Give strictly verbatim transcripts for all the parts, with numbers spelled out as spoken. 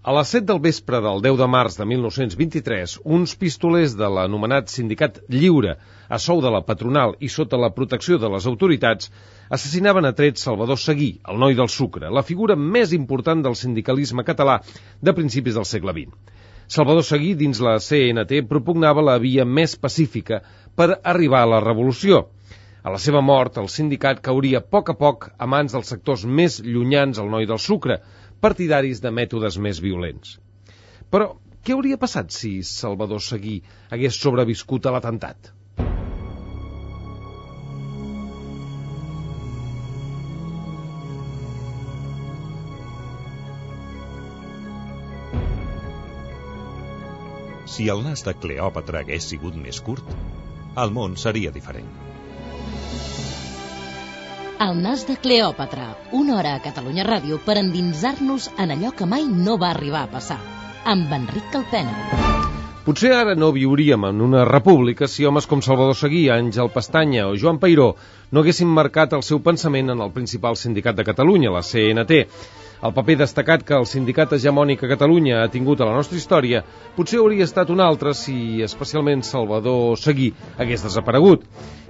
A les set del vespre del deu de març de mil nou-cents vint-i-tres, uns pistolers de l'anomenat Sindicat Lliure, a sou de la patronal i sota la protecció de les autoritats, assassinaven a trets Salvador Seguí, el noi del sucre, la figura més important del sindicalisme català de principis del segle vint. Salvador Seguí, dins la C N T, propugnava la via més pacífica per arribar a la revolució. A la seva mort, el sindicat cauria a poc a poc a mans dels sectors més llunyans al noi del sucre, partidaris de mètodes més violents. Però què hauria passat si Salvador Seguí hagués sobreviscut a l'atemptat? Si el nas de Cleòpatra hagués sigut més curt, el món seria diferent. El nas de Cleòpatra, una hora a Catalunya Ràdio per endinsar-nos en allò que mai no va arribar a passar, amb Enric Calpena. Potser ara no viuríem en una república si homes com Salvador Seguí, Àngel Pestanya o Joan Peiró no haguessin marcat el seu pensament en el principal sindicat de Catalunya, la C N T. El paper destacat que el sindicat hegemònic a Catalunya ha tingut a la nostra història potser hauria estat un altre si especialment Salvador Seguí hagués desaparegut.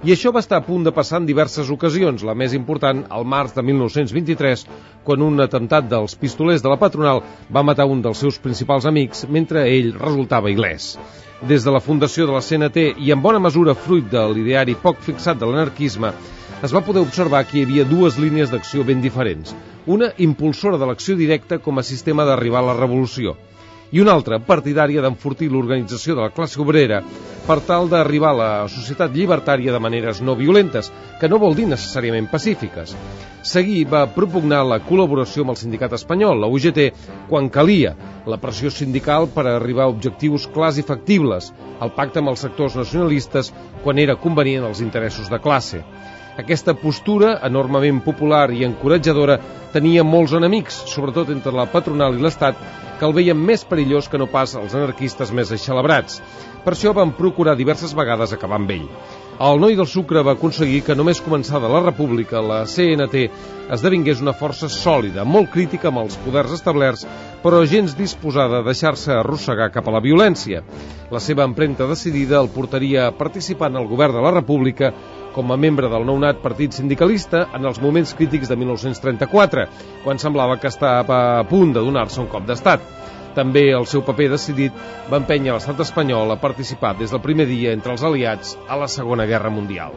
I això va estar a punt de passar en diverses ocasions, la més important al març de mil nou-cents vint-i-tres, quan un atemptat dels pistolers de la patronal va matar un dels seus principals amics mentre ell resultava il·lès. Des de la fundació de la C N T i en bona mesura fruit de l'ideari poc fixat de l'anarquisme, es va poder observar que hi havia dues línies d'acció ben diferents. Una impulsora de l'acció directa com a sistema d'arribar a la revolució i una altra partidària d'enfortir l'organització de la classe obrera per tal d'arribar a la societat llibertària de maneres no violentes, que no vol dir necessàriament pacífiques. Seguí va propugnar la col·laboració amb el sindicat espanyol, la U G T, quan calia, la pressió sindical per arribar a objectius clars i factibles, el pacte amb els sectors nacionalistes quan era convenient als interessos de classe. Aquesta postura, enormement popular i encoratjadora, tenia molts enemics, sobretot entre la patronal i l'Estat, que el veien més perillós que no pas els anarquistes més eixelebrats. Per això van procurar diverses vegades acabar amb ell. El noi del sucre va aconseguir que només començada la república, la C N T esdevingués una força sòlida, molt crítica amb els poders establerts, però gens disposada a deixar-se arrossegar cap a la violència. La seva empremta decidida el portaria a participar en el govern de la república com a membre del nounat partit sindicalista en els moments crítics de mil nou-cents trenta-quatre, quan semblava que estava a punt de donar-se un cop d'estat. També el seu paper decidit va empènyer l'estat espanyol a participar des del primer dia entre els aliats a la Segona Guerra Mundial.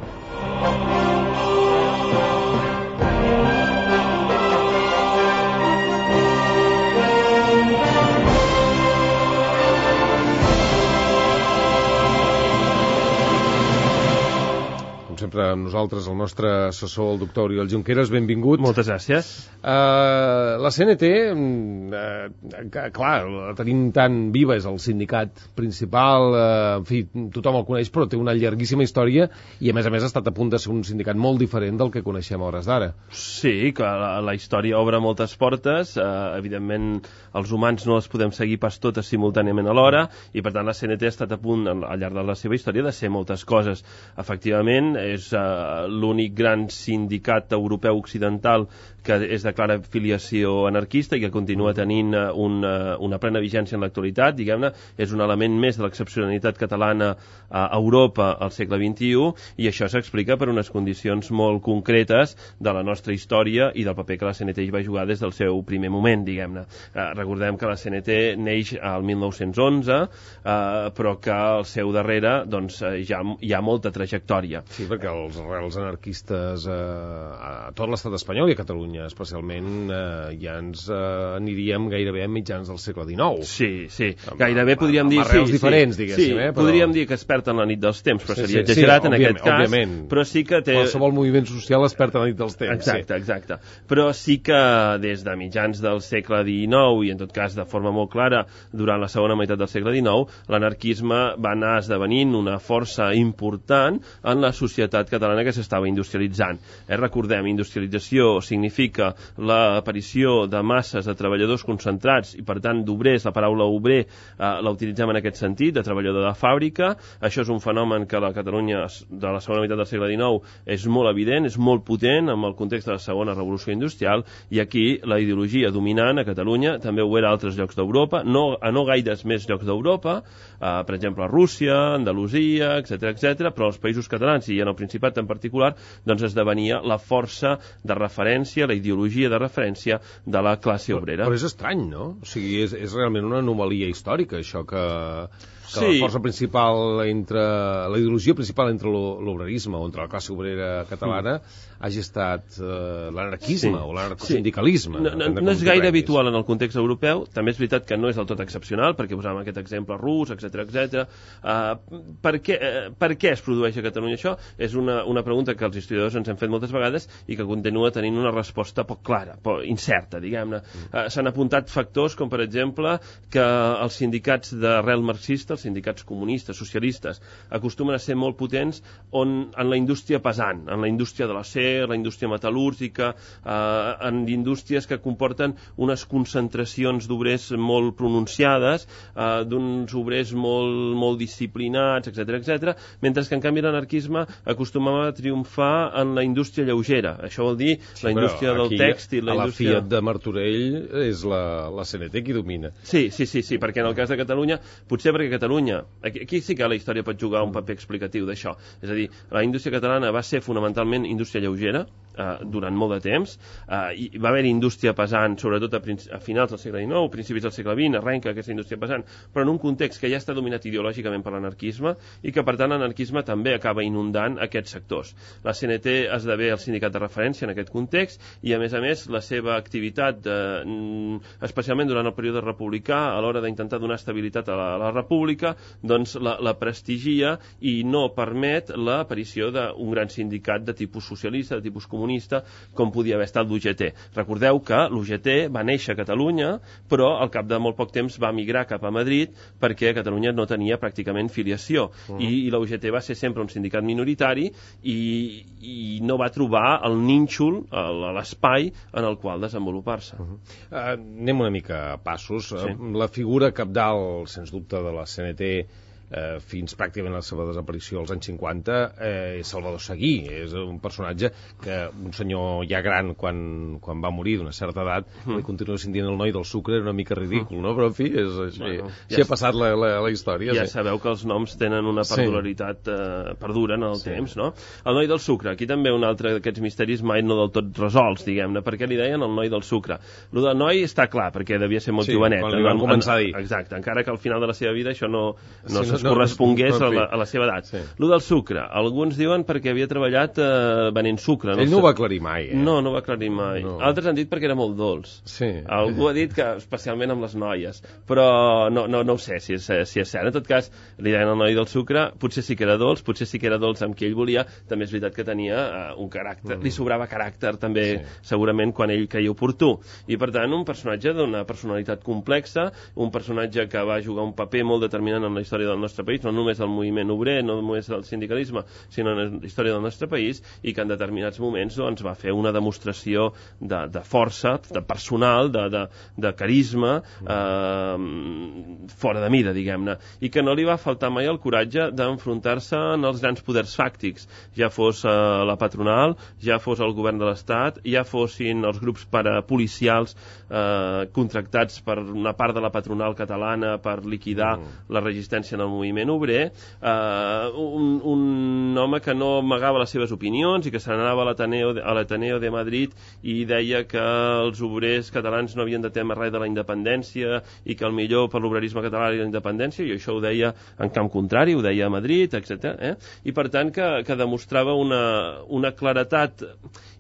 Sempre amb nosaltres el nostre assessor, el doctor Oriol Junqueras, benvingut. Moltes gràcies. Uh, la C N T, uh, clar, la tenim tan viva, és el sindicat principal, uh, en fi, tothom el coneix, però té una llarguíssima història i a més a més ha estat a punt de ser un sindicat molt diferent del que coneixem a hores d'ara. Sí, que la, la història obre moltes portes, uh, evidentment els humans no les podem seguir pas totes simultàniament alhora i per tant la C N T ha estat a punt al llarg de la seva història de ser moltes coses. Efectivament, és uh, l'únic gran sindicat europeu occidental que és de clara filiació anarquista i que continua tenint uh, una, una plena vigència en l'actualitat, diguem-ne, és un element més de l'excepcionalitat catalana a Europa al segle vint-i-u i això s'explica per unes condicions molt concretes de la nostra història i del paper que la C N T hi va jugar des del seu primer moment, diguem-ne. Uh, recordem que la C N T neix al mil nou-cents onze, uh, però que al seu darrere doncs, uh, ja hi ha molta trajectòria. Sí, perquè els arrels anarquistes eh, a tot l'estat espanyol i a Catalunya especialment eh, ja ens eh, aniríem gairebé a mitjans del segle dinou. Sí, sí, amb, gairebé amb, podríem amb dir... arrels sí, diferents, sí, diguéssim. Sí, eh, però... podríem dir que es perd en la nit dels temps, però sí, seria sí, exagerat sí, en aquest cas. Òbviament. Però sí que té... Qualsevol moviment social es perd en la nit dels temps. Exacte, sí. exacte. Però sí que des de mitjans del segle dinou i en tot cas de forma molt clara durant la segona meitat del segle dinou, l'anarquisme va anar esdevenint una força important en la societat societat catalana que s'estava industrialitzant. Eh, recordem, industrialització significa l'aparició de masses de treballadors concentrats i, per tant, d'obrers. La paraula obrer eh, la utilitzem en aquest sentit, de treballador de fàbrica. Això és un fenomen que a la Catalunya de la segona meitat del segle dinou és molt evident, és molt potent en el context de la segona revolució industrial, i aquí la ideologia dominant a Catalunya també ho era a altres llocs d'Europa, no, a no gaires més llocs d'Europa, eh, per exemple a Rússia, Andalusia, etcètera, etcètera, però als països catalans i en el Principat en particular, doncs esdevenia la força de referència, la ideologia de referència de la classe obrera. Però, però és estrany, no? O sigui, és, és realment una anomalia històrica, això que... que sí. La força principal entre... la ideologia principal entre l'obrerisme o entre la classe obrera catalana mm. hagi estat eh, l'anarquisme sí. o l'anarcosindicalisme. Sí. No, no, no és gaire habitual en el context europeu, també és veritat que no és del tot excepcional, perquè posàvem aquest exemple rus, etcètera, etcètera. Uh, per, què, uh, per què es produeix a Catalunya això? És una, una pregunta que els historiadors ens hem fet moltes vegades i que continua tenint una resposta poc clara, poc incerta, diguem-ne. Uh, S'han apuntat factors com, per exemple, que els sindicats d'arrel marxista, els sindicats comunistes, socialistes, acostumen a ser molt potents on, en la indústria pesant, en la indústria de l'acer, la indústria metal·lúrgica, eh, en indústries que comporten unes concentracions d'obrers molt pronunciades, eh, d'uns obrers molt, molt disciplinats, etcètera, etcètera, mentre que en canvi l'anarquisme acostumava a triomfar en la indústria lleugera. Això vol dir sí, la indústria del tèxtil, la indústria... A la Fiat de Martorell és la, la C N T qui domina. Sí, sí, sí, sí, perquè en el cas de Catalunya, potser perquè Catalunya Aquí, aquí sí que la història pot jugar un paper explicatiu d'això. És a dir, la indústria catalana va ser fonamentalment indústria lleugera eh, durant molt de temps. Eh, i va haver indústria pesant, sobretot a, a finals del segle dinou, principis del segle vint, arrenca aquesta indústria pesant, però en un context que ja està dominat ideològicament per l'anarquisme i que, per tant, l'anarquisme també acaba inundant aquests sectors. La C N T esdevé el sindicat de referència en aquest context i, a més a més, la seva activitat, eh, especialment durant el període republicà, a l'hora d'intentar donar estabilitat a la, a la república, doncs la, la prestigia i no permet l'aparició d'un gran sindicat de tipus socialista, de tipus comunista, com podia haver estat l'U G T. Recordeu que l'U G T va néixer a Catalunya, però al cap de molt poc temps va migrar cap a Madrid perquè a Catalunya no tenia pràcticament filiació. Uh-huh. I, i la U G T va ser sempre un sindicat minoritari i, i no va trobar el nínxol, l'espai en el qual desenvolupar-se. Uh-huh. uh, anem una mica a passos. Sí. Uh, la figura cabdal, sens dubte, de la C N T eh, fins pràcticament la seva desaparició als anys cinquanta eh, és Salvador Seguí. És un personatge que un senyor ja gran quan, quan va morir d'una certa edat mm. li continua sent dient el noi del sucre, era una mica ridícul, no? Però en fi, és, així, bueno, així ja ha passat la, la, la història. Ja sí. Sabeu que els noms tenen una perduralitat eh, perduren en el sí. temps, no? El noi del sucre, aquí també un altre d'aquests misteris mai no del tot resolts, diguem-ne. Per què li deien el noi del sucre? Lo del noi està clar, perquè devia ser molt sí, jovenet. Quan li van començar a dir. Exacte, encara que al final de la seva vida això no, no sí, es correspongués no, no, no, a, la, a la seva edat. Sí. Lo del sucre, alguns diuen perquè havia treballat eh, venent sucre. No Ell no ho va aclarir mai, eh? No, no ho va aclarir mai. No. Altres han dit perquè era molt dolç. Sí. Algú ha dit que especialment amb les noies, però no, no, no ho sé si és, si és cert. En tot cas, li deien al noi del sucre, potser sí que era dolç, potser sí que era dolç amb qui ell volia, també és veritat que tenia eh, un caràcter, mm. li sobrava caràcter també, sí. segurament, quan ell creia oportú. I per tant, un personatge d'una personalitat complexa, un personatge que va jugar un paper molt determinant en la història del nostre país, no només del moviment obrer, no només del sindicalisme, sinó en la història del nostre país, i que en determinats moments doncs, va fer una demostració de, de força, de personal, de, de, de carisma, eh, fora de mida, diguem-ne, i que no li va faltar mai el coratge d'enfrontar-se en els grans poders fàctics, ja fos eh, la patronal, ja fos el govern de l'Estat, ja fossin els grups parapolicials eh, contractats per una part de la patronal catalana per liquidar mm. la resistència en el moviment obrer, eh, un, un home que no amagava les seves opinions i que se n'anava a l'Ateneo a l'Ateneo de Madrid i deia que els obrers catalans no havien de temer res de la independència i que el millor per l'obrerisme català era la independència, i això ho deia en camp contrari, ho deia a Madrid, etcètera. Eh? I per tant que, que demostrava una, una claretat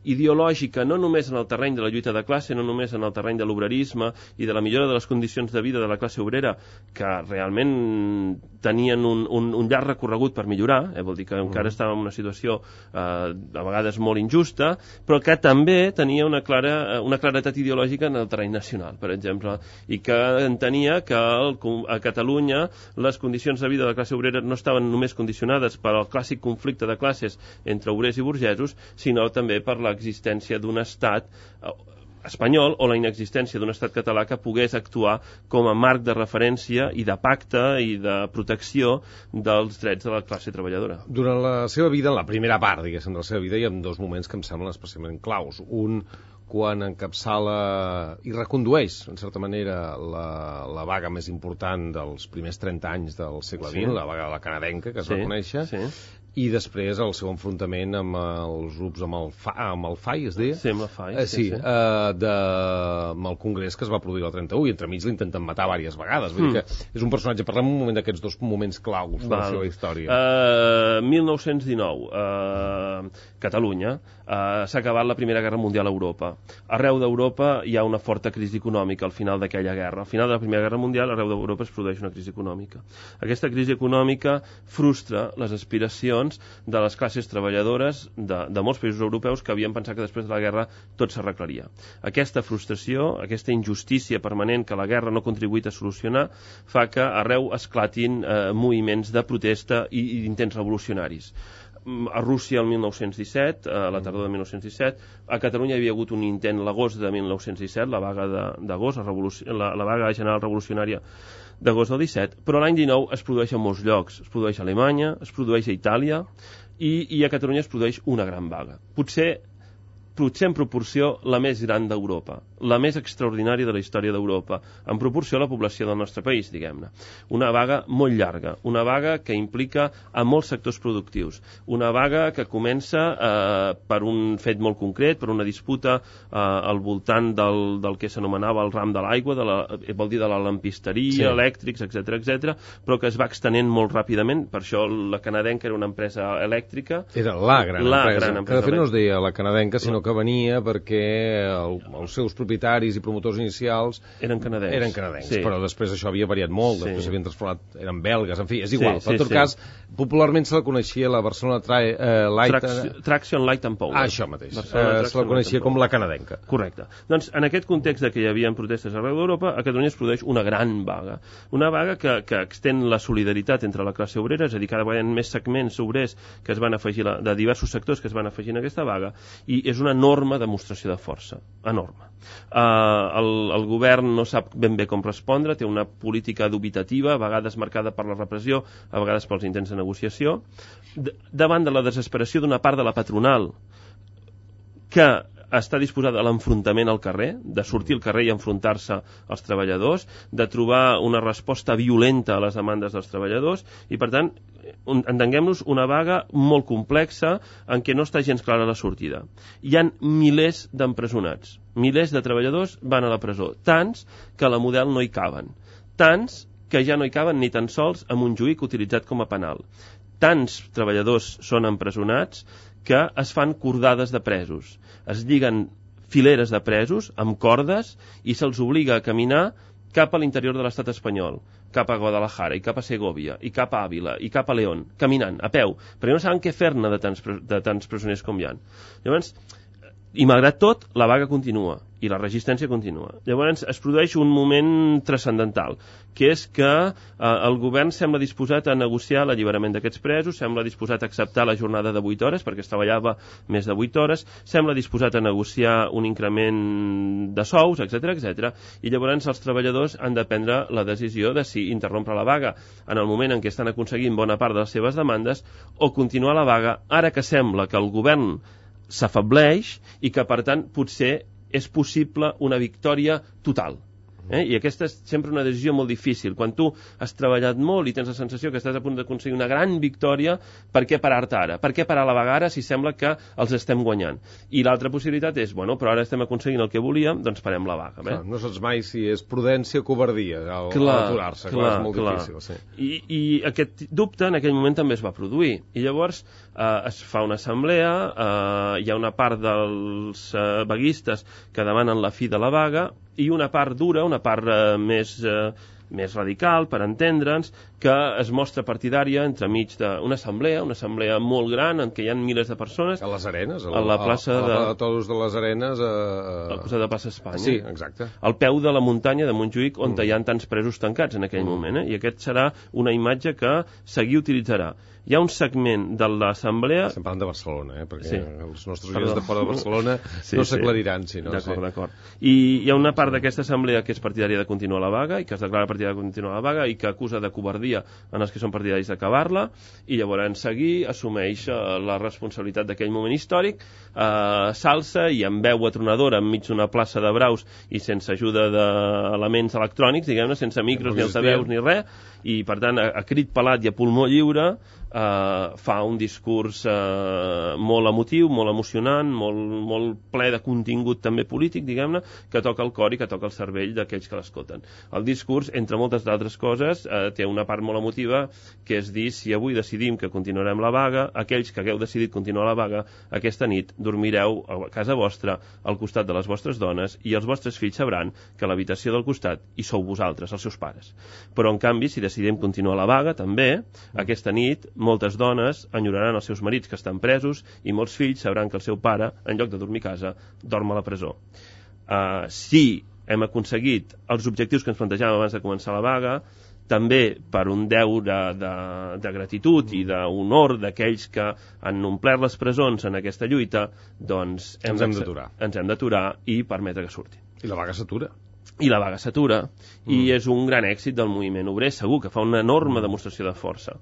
ideològica no només en el terreny de la lluita de classe, no només en el terreny de l'obrerisme i de la millora de les condicions de vida de la classe obrera, que realment tenien un, un, un llarg recorregut per millorar, eh, vol dir que encara estava en una situació eh, a vegades molt injusta, però que també tenia una clara, una claretat ideològica en el terreny nacional, per exemple, i que entenia que el, a Catalunya les condicions de vida de la classe obrera no estaven només condicionades per al clàssic conflicte de classes entre obrers i burgesos, sinó també per l'existència d'un estat espanyol o la inexistència d'un estat català que pogués actuar com a marc de referència i de pacte i de protecció dels drets de la classe treballadora. Durant la seva vida, en la primera part, diguéssim, de la seva vida, hi ha dos moments que em semblen especialment claus. Un, quan encapçala i recondueix, en certa manera, la, la vaga més important dels primers trenta anys del segle vint, sí. La vaga de la canadenca, que es sí, va conèixer, sí. I després el seu enfrontament amb els grups, amb el, Fa, amb el F A I, es deia? Sí, amb el F A I, eh, sí, sí. sí. Eh, de, amb el Congrés que es va produir el trenta-u, i entremig l'intenten matar diverses vegades. Vull mm. dir que és un personatge, parlem un moment d'aquests dos moments claus de la seva història. Uh, mil nou-cents dinou, uh, Catalunya, uh, s'ha acabat la Primera Guerra Mundial a Europa. Arreu d'Europa hi ha una forta crisi econòmica al final d'aquella guerra. Al final de la Primera Guerra Mundial, arreu d'Europa es produeix una crisi econòmica. Aquesta crisi econòmica frustra les aspiracions de les classes treballadores de, de molts països europeus que havien pensat que després de la guerra tot s'arreglaria. Aquesta frustració, aquesta injustícia permanent que la guerra no ha contribuït a solucionar, fa que arreu esclatin eh, moviments de protesta i, i d'intents revolucionaris. A Rússia el mil nou-cents disset, a la tardor de mil nou-cents disset, a Catalunya hi havia hagut un intent l'agost de mil nou-cents disset, la vaga d'agost, la, la vaga general revolucionària d'agost del disset, però l'any dinou es produeix a molts llocs. Es produeix a Alemanya, es produeix a Itàlia i, i a Catalunya es produeix una gran vaga. Potser, potser en proporció la més gran d'Europa, la més extraordinària de la història d'Europa, en proporció a la població del nostre país, diguem-ne. Una vaga molt llarga, una vaga que implica a molts sectors productius, una vaga que comença eh, per un fet molt concret, per una disputa eh, al voltant del, del que s'anomenava el ram de l'aigua, de la, vol dir de la lampisteria, sí. Elèctrics, etcètera, etcètera, però que es va extenent molt ràpidament. Per això la canadenca era una empresa elèctrica. Era la gran la empresa, gran empresa que de fet no es deia la canadenca, sinó que venia perquè el, els seus propietaris i promotors inicials eren canadencs, eren canadencs sí. Però després això havia variat molt, després s'havien sí. transformat, eren belgues, en fi, és igual, sí, però en tot sí, cas, sí. popularment se la coneixia la Barcelona Trai, eh, Light... Traction, Traction Light and Power. Ah, això mateix, eh, se la coneixia com la canadenca. Correcte. Doncs en aquest context de que hi havia protestes arreu d'Europa, a Catalunya es produeix una gran vaga. Una vaga que, que extén la solidaritat entre la classe obrera, és a dir, cada vegada més segments obrers que es van afegir, la, de diversos sectors que es van afegir en aquesta vaga, i és una enorme demostració de força, enorme. Uh, el, el govern no sap ben bé com respondre, té una política dubitativa, a vegades marcada per la repressió, a vegades pels intents de negociació, de, davant de la desesperació d'una part de la patronal que està disposada a l'enfrontament al carrer, de sortir al carrer i enfrontar-se als treballadors, de trobar una resposta violenta a les demandes dels treballadors, i per tant, entenguem-nos, una vaga molt complexa en què no està gens clara la sortida. Hi ha milers d'empresonats, milers de treballadors van a la presó, tants que a la Model no hi caben, tants que ja no hi caben ni tan sols amb un juïc utilitzat com a penal. Tants treballadors són empresonats que es fan cordades de presos. Es lliguen fileres de presos amb cordes i se'ls obliga a caminar cap a l'interior de l'estat espanyol, cap a Guadalajara, i cap a Segovia, i cap a Àvila, i cap a León, caminant, a peu, perquè no saben què fer-ne de tants, de tants presoners com hi ha. Llavors, i malgrat tot, la vaga continua, i la resistència continua. Llavors es produeix un moment transcendental, que és que eh, el govern sembla disposat a negociar l'alliberament d'aquests presos, sembla disposat a acceptar la jornada de vuit hores, perquè es treballava més de vuit hores, sembla disposat a negociar un increment de sous, etcètera, etcètera, i llavors els treballadors han de prendre la decisió de si interrompre la vaga en el moment en què estan aconseguint bona part de les seves demandes, o continuar la vaga ara que sembla que el govern s'afableix i que, per tant, potser és possible una victòria total. Eh? I aquesta és sempre una decisió molt difícil. Quan tu has treballat molt i tens la sensació que estàs a punt d'aconseguir una gran victòria, per què parar-te ara? Per què parar la vaga ara si sembla que els estem guanyant? I l'altra possibilitat és, bueno, però ara estem aconseguint el que volíem, doncs parem la vaga. Bé? Clar, no saps mai si és prudència o covardia al, clar, aturar-se, clar, clar, és molt clar. Difícil. Sí. I, I aquest dubte en aquell moment també es va produir. I llavors eh, es fa una assemblea, eh, hi ha una part dels eh, vaguistes que demanen la fi de la vaga, i una part dura, una part eh, més, eh, més radical, per entendre'ns, que es mostra partidària entremig d'una assemblea, una assemblea molt gran en què hi ha milers de persones. A les Arenes, a la, a la plaça a, a, de... a toros de les Arenes. A, a la plaça de Plaça Espanya. Sí, exacte. Al peu de la muntanya de Montjuïc, on mm. hi ha tants presos tancats en aquell mm. moment, eh? I aquest serà una imatge que Seguí utilitzarà. Hi ha un segment de l'assemblea... Estem parlant de Barcelona, eh? Perquè sí. els nostres oients de fora de Barcelona sí, no s'aclariran, si no. D'acord, sí. d'acord. I hi ha una part d'aquesta assemblea que és partidària de continuar la vaga i que es declara partidària de continuar la vaga i que acusa de covardia en els que són partidaris d'acabar-la, i llavors Seguí assumeix uh, la responsabilitat d'aquell moment històric, uh, s'alça i amb veu atronadora enmig d'una plaça de braus i sense ajuda d'elements electrònics, diguem-ne, sense micros ni altaveus ni res, i per tant a, a crit pelat i a pulmó lliure Uh, fa un discurs uh, molt emotiu, molt emocionant, molt, molt ple de contingut també polític, diguem-ne, que toca el cor i que toca el cervell d'aquells que l'escolten. El discurs, entre moltes d'altres coses, uh, té una part molt emotiva, que és dir, si avui decidim que continuarem la vaga, aquells que hagueu decidit continuar la vaga, aquesta nit dormireu a casa vostra, al costat de les vostres dones, i els vostres fills sabran que a l'habitació del costat hi sou vosaltres, els seus pares. Però, en canvi, si decidim continuar la vaga, també, aquesta nit, moltes dones enyoraran els seus marits que estan presos i molts fills sabran que el seu pare, en lloc de dormir a casa, dorm a la presó. Uh, si hem aconseguit els objectius que ens plantejàvem abans de començar la vaga, també per un deure de, de gratitud i d'honor d'aquells que han omplert les presons en aquesta lluita, doncs hem ens hem d'aturar. Ens hem d'aturar i permetre que surti. I la vaga s'atura. I la vaga s'atura, mm. i és un gran èxit del moviment obrer, segur que fa una enorme demostració de força.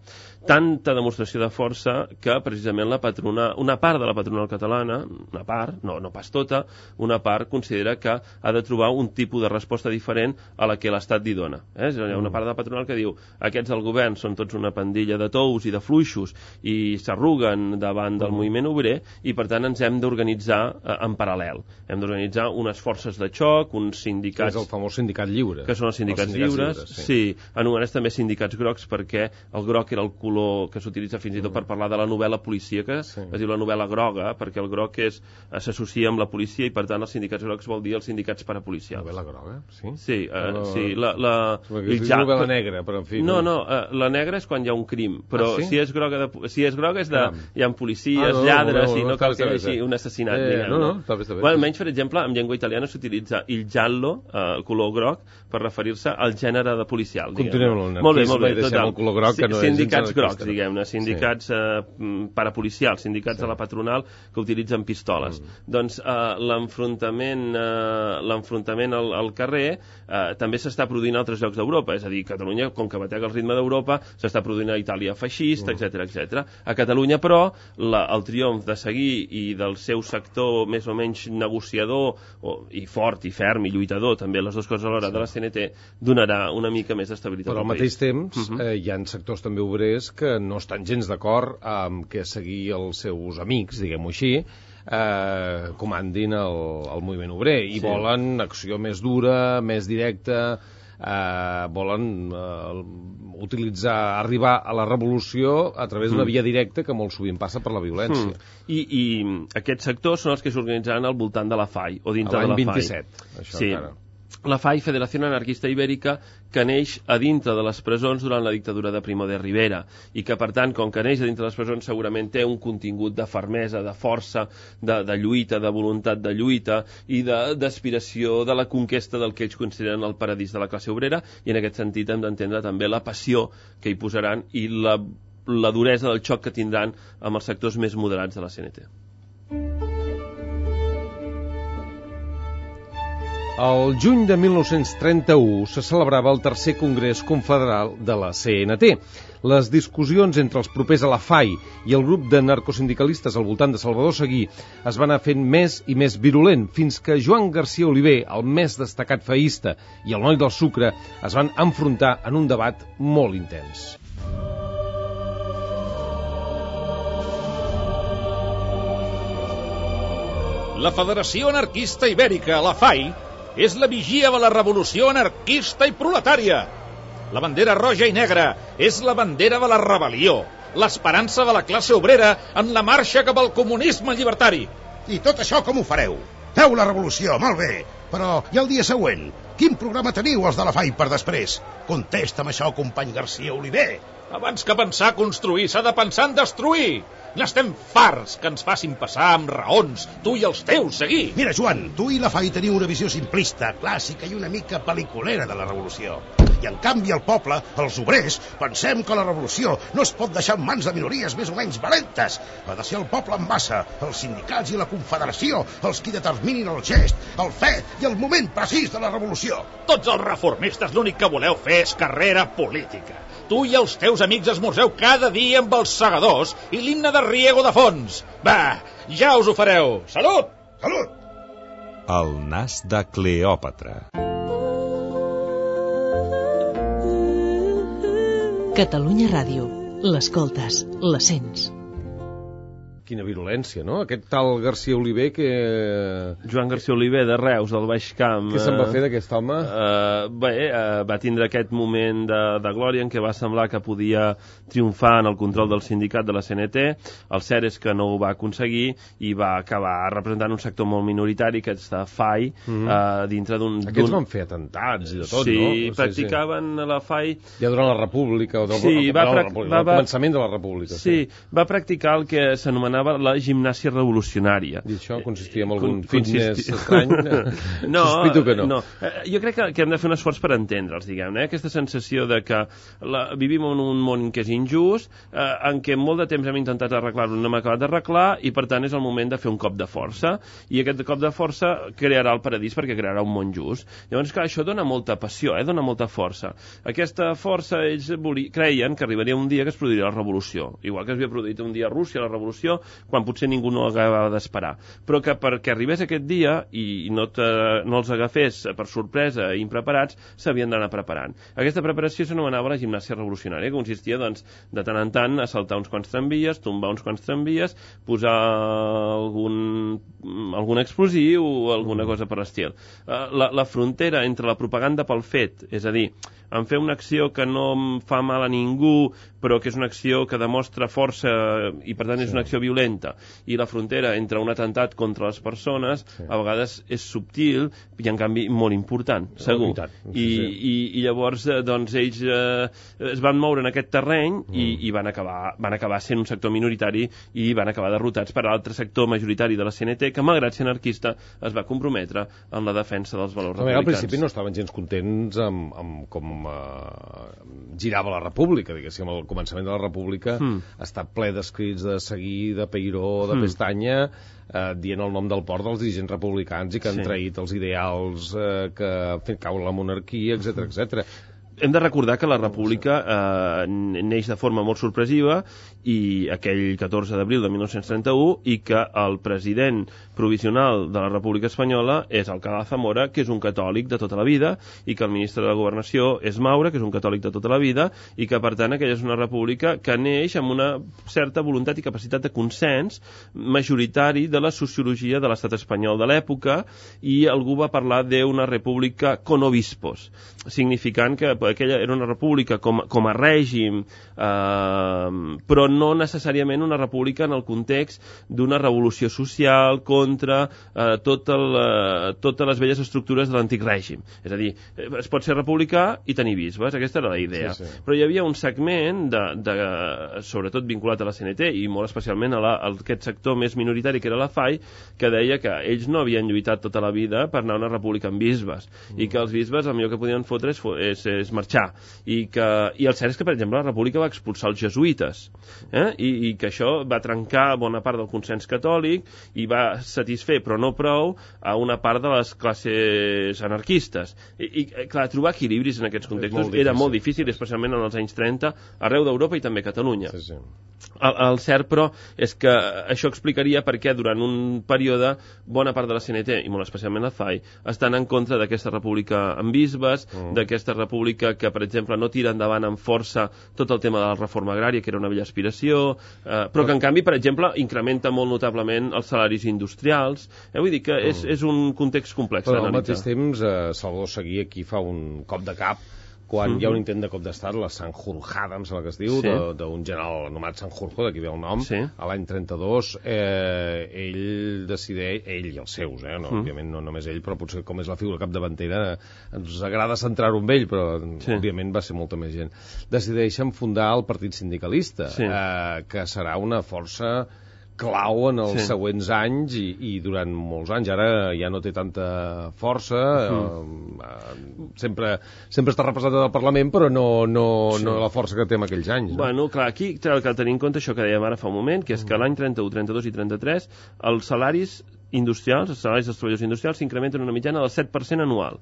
Tanta demostració de força que precisament la patronal, una part de la patronal catalana, una part, no, no pas tota, una part considera que ha de trobar un tipus de resposta diferent a la que l'Estat li dona. Eh? Hi ha una part de la patronal que diu aquests del govern són tots una pandilla de tous i de fluixos i s'arruguen davant del mm. moviment obrer i per tant ens hem d'organitzar eh, en paral·lel. Hem d'organitzar unes forces de xoc, uns sindicats... És el famós sindicat lliure. Que són els sindicats, els sindicats lliures, lliures sí. sí. Anomenats també sindicats grocs perquè el groc era el color que s'utilitza fins i tot per parlar de la novel·la policíaca, sí. Es diu la novel·la groga, perquè el groc és s'associa amb la policia i per tant els sindicats grocs vol dir els sindicats parapolicials. Novel·la groga? Sí? Sí, uh, no, sí la, la, és ja, novel·la negra, però en fi... No, no, uh, la negra és quan hi ha un crim, però ah, sí? si és groga, de, si és groga és de... Caram. Hi ha policies, ah, no, lladres, no, no, no, i no, no cal que hi hagi un assassinat. Eh, diguem, no, no, està bé, està bé. Bueno, almenys, per exemple, en llengua italiana s'utilitza il giallo, uh, color groc, per referir-se al gènere de policial. Continuem amb molt bé, molt bé, total. El color groc, que no sindicats grocs, diguem-ne, sindicats sí. eh, parapolicials, sindicats sí. de la patronal que utilitzen pistoles. Mm. Doncs eh, l'enfrontament eh, l'enfrontament al, al carrer eh, també s'està produint a altres llocs d'Europa, és a dir, Catalunya, com que batega el ritme d'Europa, s'està produint a Itàlia feixista, mm. etcètera, etcètera. A Catalunya, però, la, el triomf de Seguí i del seu sector més o menys negociador o, i fort i ferm i lluitador, també les dues coses alhora, sí. de la C N T, donarà una mica més d'estabilitat al país. Però al mateix temps uh -huh. eh, hi ha sectors també obrers que no estan gens d'acord amb que seguir els seus amics, diguem-ho així, eh, comandin el, el moviment obrer i sí. volen acció més dura, més directa, eh, volen eh, utilitzar, arribar a la revolució a través d'una mm. via directa que molt sovint passa per la violència. Mm. I, I aquests sectors són els que s'organitzaran al voltant de la F A I, o dintre de la F A I. L'any vint-i-set, això sí. encara. La F A I, Federació Anarquista Ibèrica, que neix a dintre de les presons durant la dictadura de Primo de Rivera i que, per tant, com que neix a dintre de les presons, segurament té un contingut de fermesa, de força, de, de lluita, de voluntat de lluita i d'aspiració de, de la conquesta del que ells consideren el paradís de la classe obrera, i en aquest sentit hem d'entendre també la passió que hi posaran i la, la duresa del xoc que tindran amb els sectors més moderats de la C N T. El juny de mil nou-cents trenta-u se celebrava el tercer Congrés Confederal de la C N T. Les discussions entre els propers a la F A I i el grup de narcosindicalistes al voltant de Salvador Seguí es van anar fent més i més virulent, fins que Joan García Oliver, el més destacat feísta, i el noi del sucre es van enfrontar en un debat molt intens. La Federació Anarquista Ibèrica, la F A I, és la vigia de la revolució anarquista i proletària. La bandera roja i negra és la bandera de la rebel·lió, l'esperança de la classe obrera en la marxa cap al comunisme llibertari. I tot això com ho fareu? Feu la revolució, molt bé. Però, i el dia següent? Quin programa teniu, els de la F A I, per després? Contesta'm això, company Garcia Oliver. Abans que pensar construir, s'ha de pensar en destruir. N'estem farts que ens facin passar amb raons, tu i els teus, seguir. Mira, Joan, tu i la F A I teniu una visió simplista, clàssica i una mica pel·liculera de la revolució. I, en canvi, el poble, els obrers, pensem que la revolució no es pot deixar en mans de minories més o menys valentes. Ha de ser el poble en massa, els sindicats i la confederació, els qui determinin el gest, el fet i el moment precís de la revolució. Tots els reformistes l'únic que voleu fer és carrera política. Tu i els teus amics esmorzeu cada dia amb els segadors i l'himne de Riego de fons. Va, ja us ho fareu. Salut! Salut! El nas de Cleòpatra. Catalunya Ràdio. L'escoltes, la sents. Quina virulència, no? Aquest tal Garcia Oliver que... Joan Garcia Oliver, de Reus, del Baix Camp. Què se'n va fer d'aquest home? Uh, bé, uh, va tindre aquest moment de, de glòria en què va semblar que podia triomfar en el control del sindicat de la C N T. El cert és que no ho va aconseguir i va acabar representant un sector molt minoritari, que és de F A I, mm -hmm. uh, dintre d'un... Aquests van fer atentats i de tot, sí, no? Sí, practicaven sí. la F A I... Ja durant la República, o del, sí, va, la República, va, el començament de la República. Sí, sí, va practicar el que s'anomenava la gimnàsia revolucionària. I això consistia en algun Con, fitness estrany? No, sospito que no. no. Jo crec que, que hem de fer un esforç per entendre'ls, diguem-ne. Eh? Aquesta sensació de que la, vivim en un món que és injust, eh, en què molt de temps hem intentat arreglar-ho, no hem acabat d'arreglar, i per tant és el moment de fer un cop de força. I aquest cop de força crearà el paradís perquè crearà un món just. Llavors, clar, això dona molta passió, eh? Dona molta força. Aquesta força, ells creien que arribaria un dia que es produiria la revolució. Igual que es havia produït un dia a Rússia la revolució, quan potser ningú no acabava d'esperar, però que perquè arribés aquest dia i no, te, no els agafés per sorpresa i impreparats, s'havien d'anar preparant. Aquesta preparació s'anomenava la gimnàsia revolucionària, que consistia, doncs, de tant en tant a saltar uns quants tramvies, tombar uns quants tramvies, posar algun, algun explosiu o alguna cosa per l'estil. La, la frontera entre la propaganda pel fet, és a dir, en fer una acció que no fa mal a ningú, però que és una acció que demostra força i, per tant, és una acció violenta, i la frontera entre un atemptat contra les persones, sí. a vegades és subtil i, en canvi, molt important, segur. Oh, I, i, I llavors, doncs, ells eh, es van moure en aquest terreny mm. i, i van, acabar, van acabar sent un sector minoritari i van acabar derrotats per l'altre sector majoritari de la C N T, que, malgrat ser anarquista, es va comprometre en la defensa dels valors republicans. Al principi no estaven gens contents amb, amb com Uh, girava la República, diguéssim, al començament de la República mm. està ple d'escrits de Seguí, de Peiró, de mm. Pestanya, uh, dient el nom del port dels dirigents republicans i que han sí. traït els ideals uh, que han fet caure la monarquia, etcètera, etcètera. Hem de recordar que la República eh, neix de forma molt sorpresiva i aquell catorze d'abril de mil nou-cents trenta-u, i que el president provisional de la República Espanyola és Alcalá Zamora, que és un catòlic de tota la vida, i que el ministre de la Governació és Maura, que és un catòlic de tota la vida, i que, per tant, aquella és una república que neix amb una certa voluntat i capacitat de consens majoritari de la sociologia de l'estat espanyol de l'època, i algú va parlar d'una república con obispos, significant que aquella era una república com, com a règim, eh, però no necessàriament una república en el context d'una revolució social contra eh, tot el, eh, totes les velles estructures de l'antic règim. És a dir, es pot ser republicà i tenir bisbes, aquesta era la idea. Sí, sí. Però hi havia un segment, de, de, sobretot vinculat a la C N T i molt especialment a, la, a aquest sector més minoritari que era la F A I, que deia que ells no havien lluitat tota la vida per anar a una república amb bisbes, mm. i que els bisbes el millor que podien fotre és, és, és marxar, i, que, i el cert és que, per exemple, la República va expulsar els jesuïtes, eh? I, i que això va trencar bona part del consens catòlic i va satisfer, però no prou, a una part de les classes anarquistes. I, i clar, trobar equilibris en aquests contextos molt era molt difícil, especialment en els anys trenta, arreu d'Europa i també a Catalunya. Sí, sí. El, el cert, però, és que això explicaria per què durant un període bona part de la C N T, i molt especialment la F A I, estan en contra d'aquesta república amb bisbes, mm. d'aquesta república que, per exemple, no tira endavant amb força tot el tema de la reforma agrària, que era una vella aspiració, eh, però que, en canvi, per exemple, incrementa molt notablement els salaris industrials. Eh, vull dir que és, mm. és un context complex d'analitzar. Però al mateix temps, eh, Salvador Seguí aquí fa un cop de cap quan Mm-hmm. hi ha un intent de cop d'estat, la Sanjurjada, em sembla que es diu, Sí. d'un general anomenat Sanjurjo, d'aquí ve el nom, Sí. a l'any trenta-dos, eh, ell decideix, ell i els seus, eh, no, Mm. òbviament no només ell, però potser com és la figura capdavantera, ens agrada centrar-ho amb ell, però Sí. òbviament va ser molta més gent. Decideixen fundar el Partit Sindicalista, Sí. eh, que serà una força clau en els Sí. següents anys i, i durant molts anys. Ara ja no té tanta força, Mm. eh, eh, sempre, sempre està representat al Parlament, però no, no, Sí. no la força que té en aquells anys. No? Bueno, clar, aquí cal cal tenir en compte això que dèiem ara fa un moment, que és que l'any trenta-u, trenta-dos i trenta-tres els salaris industrials, els salaris dels treballadors industrials s'incrementen una mitjana del set per cent anual.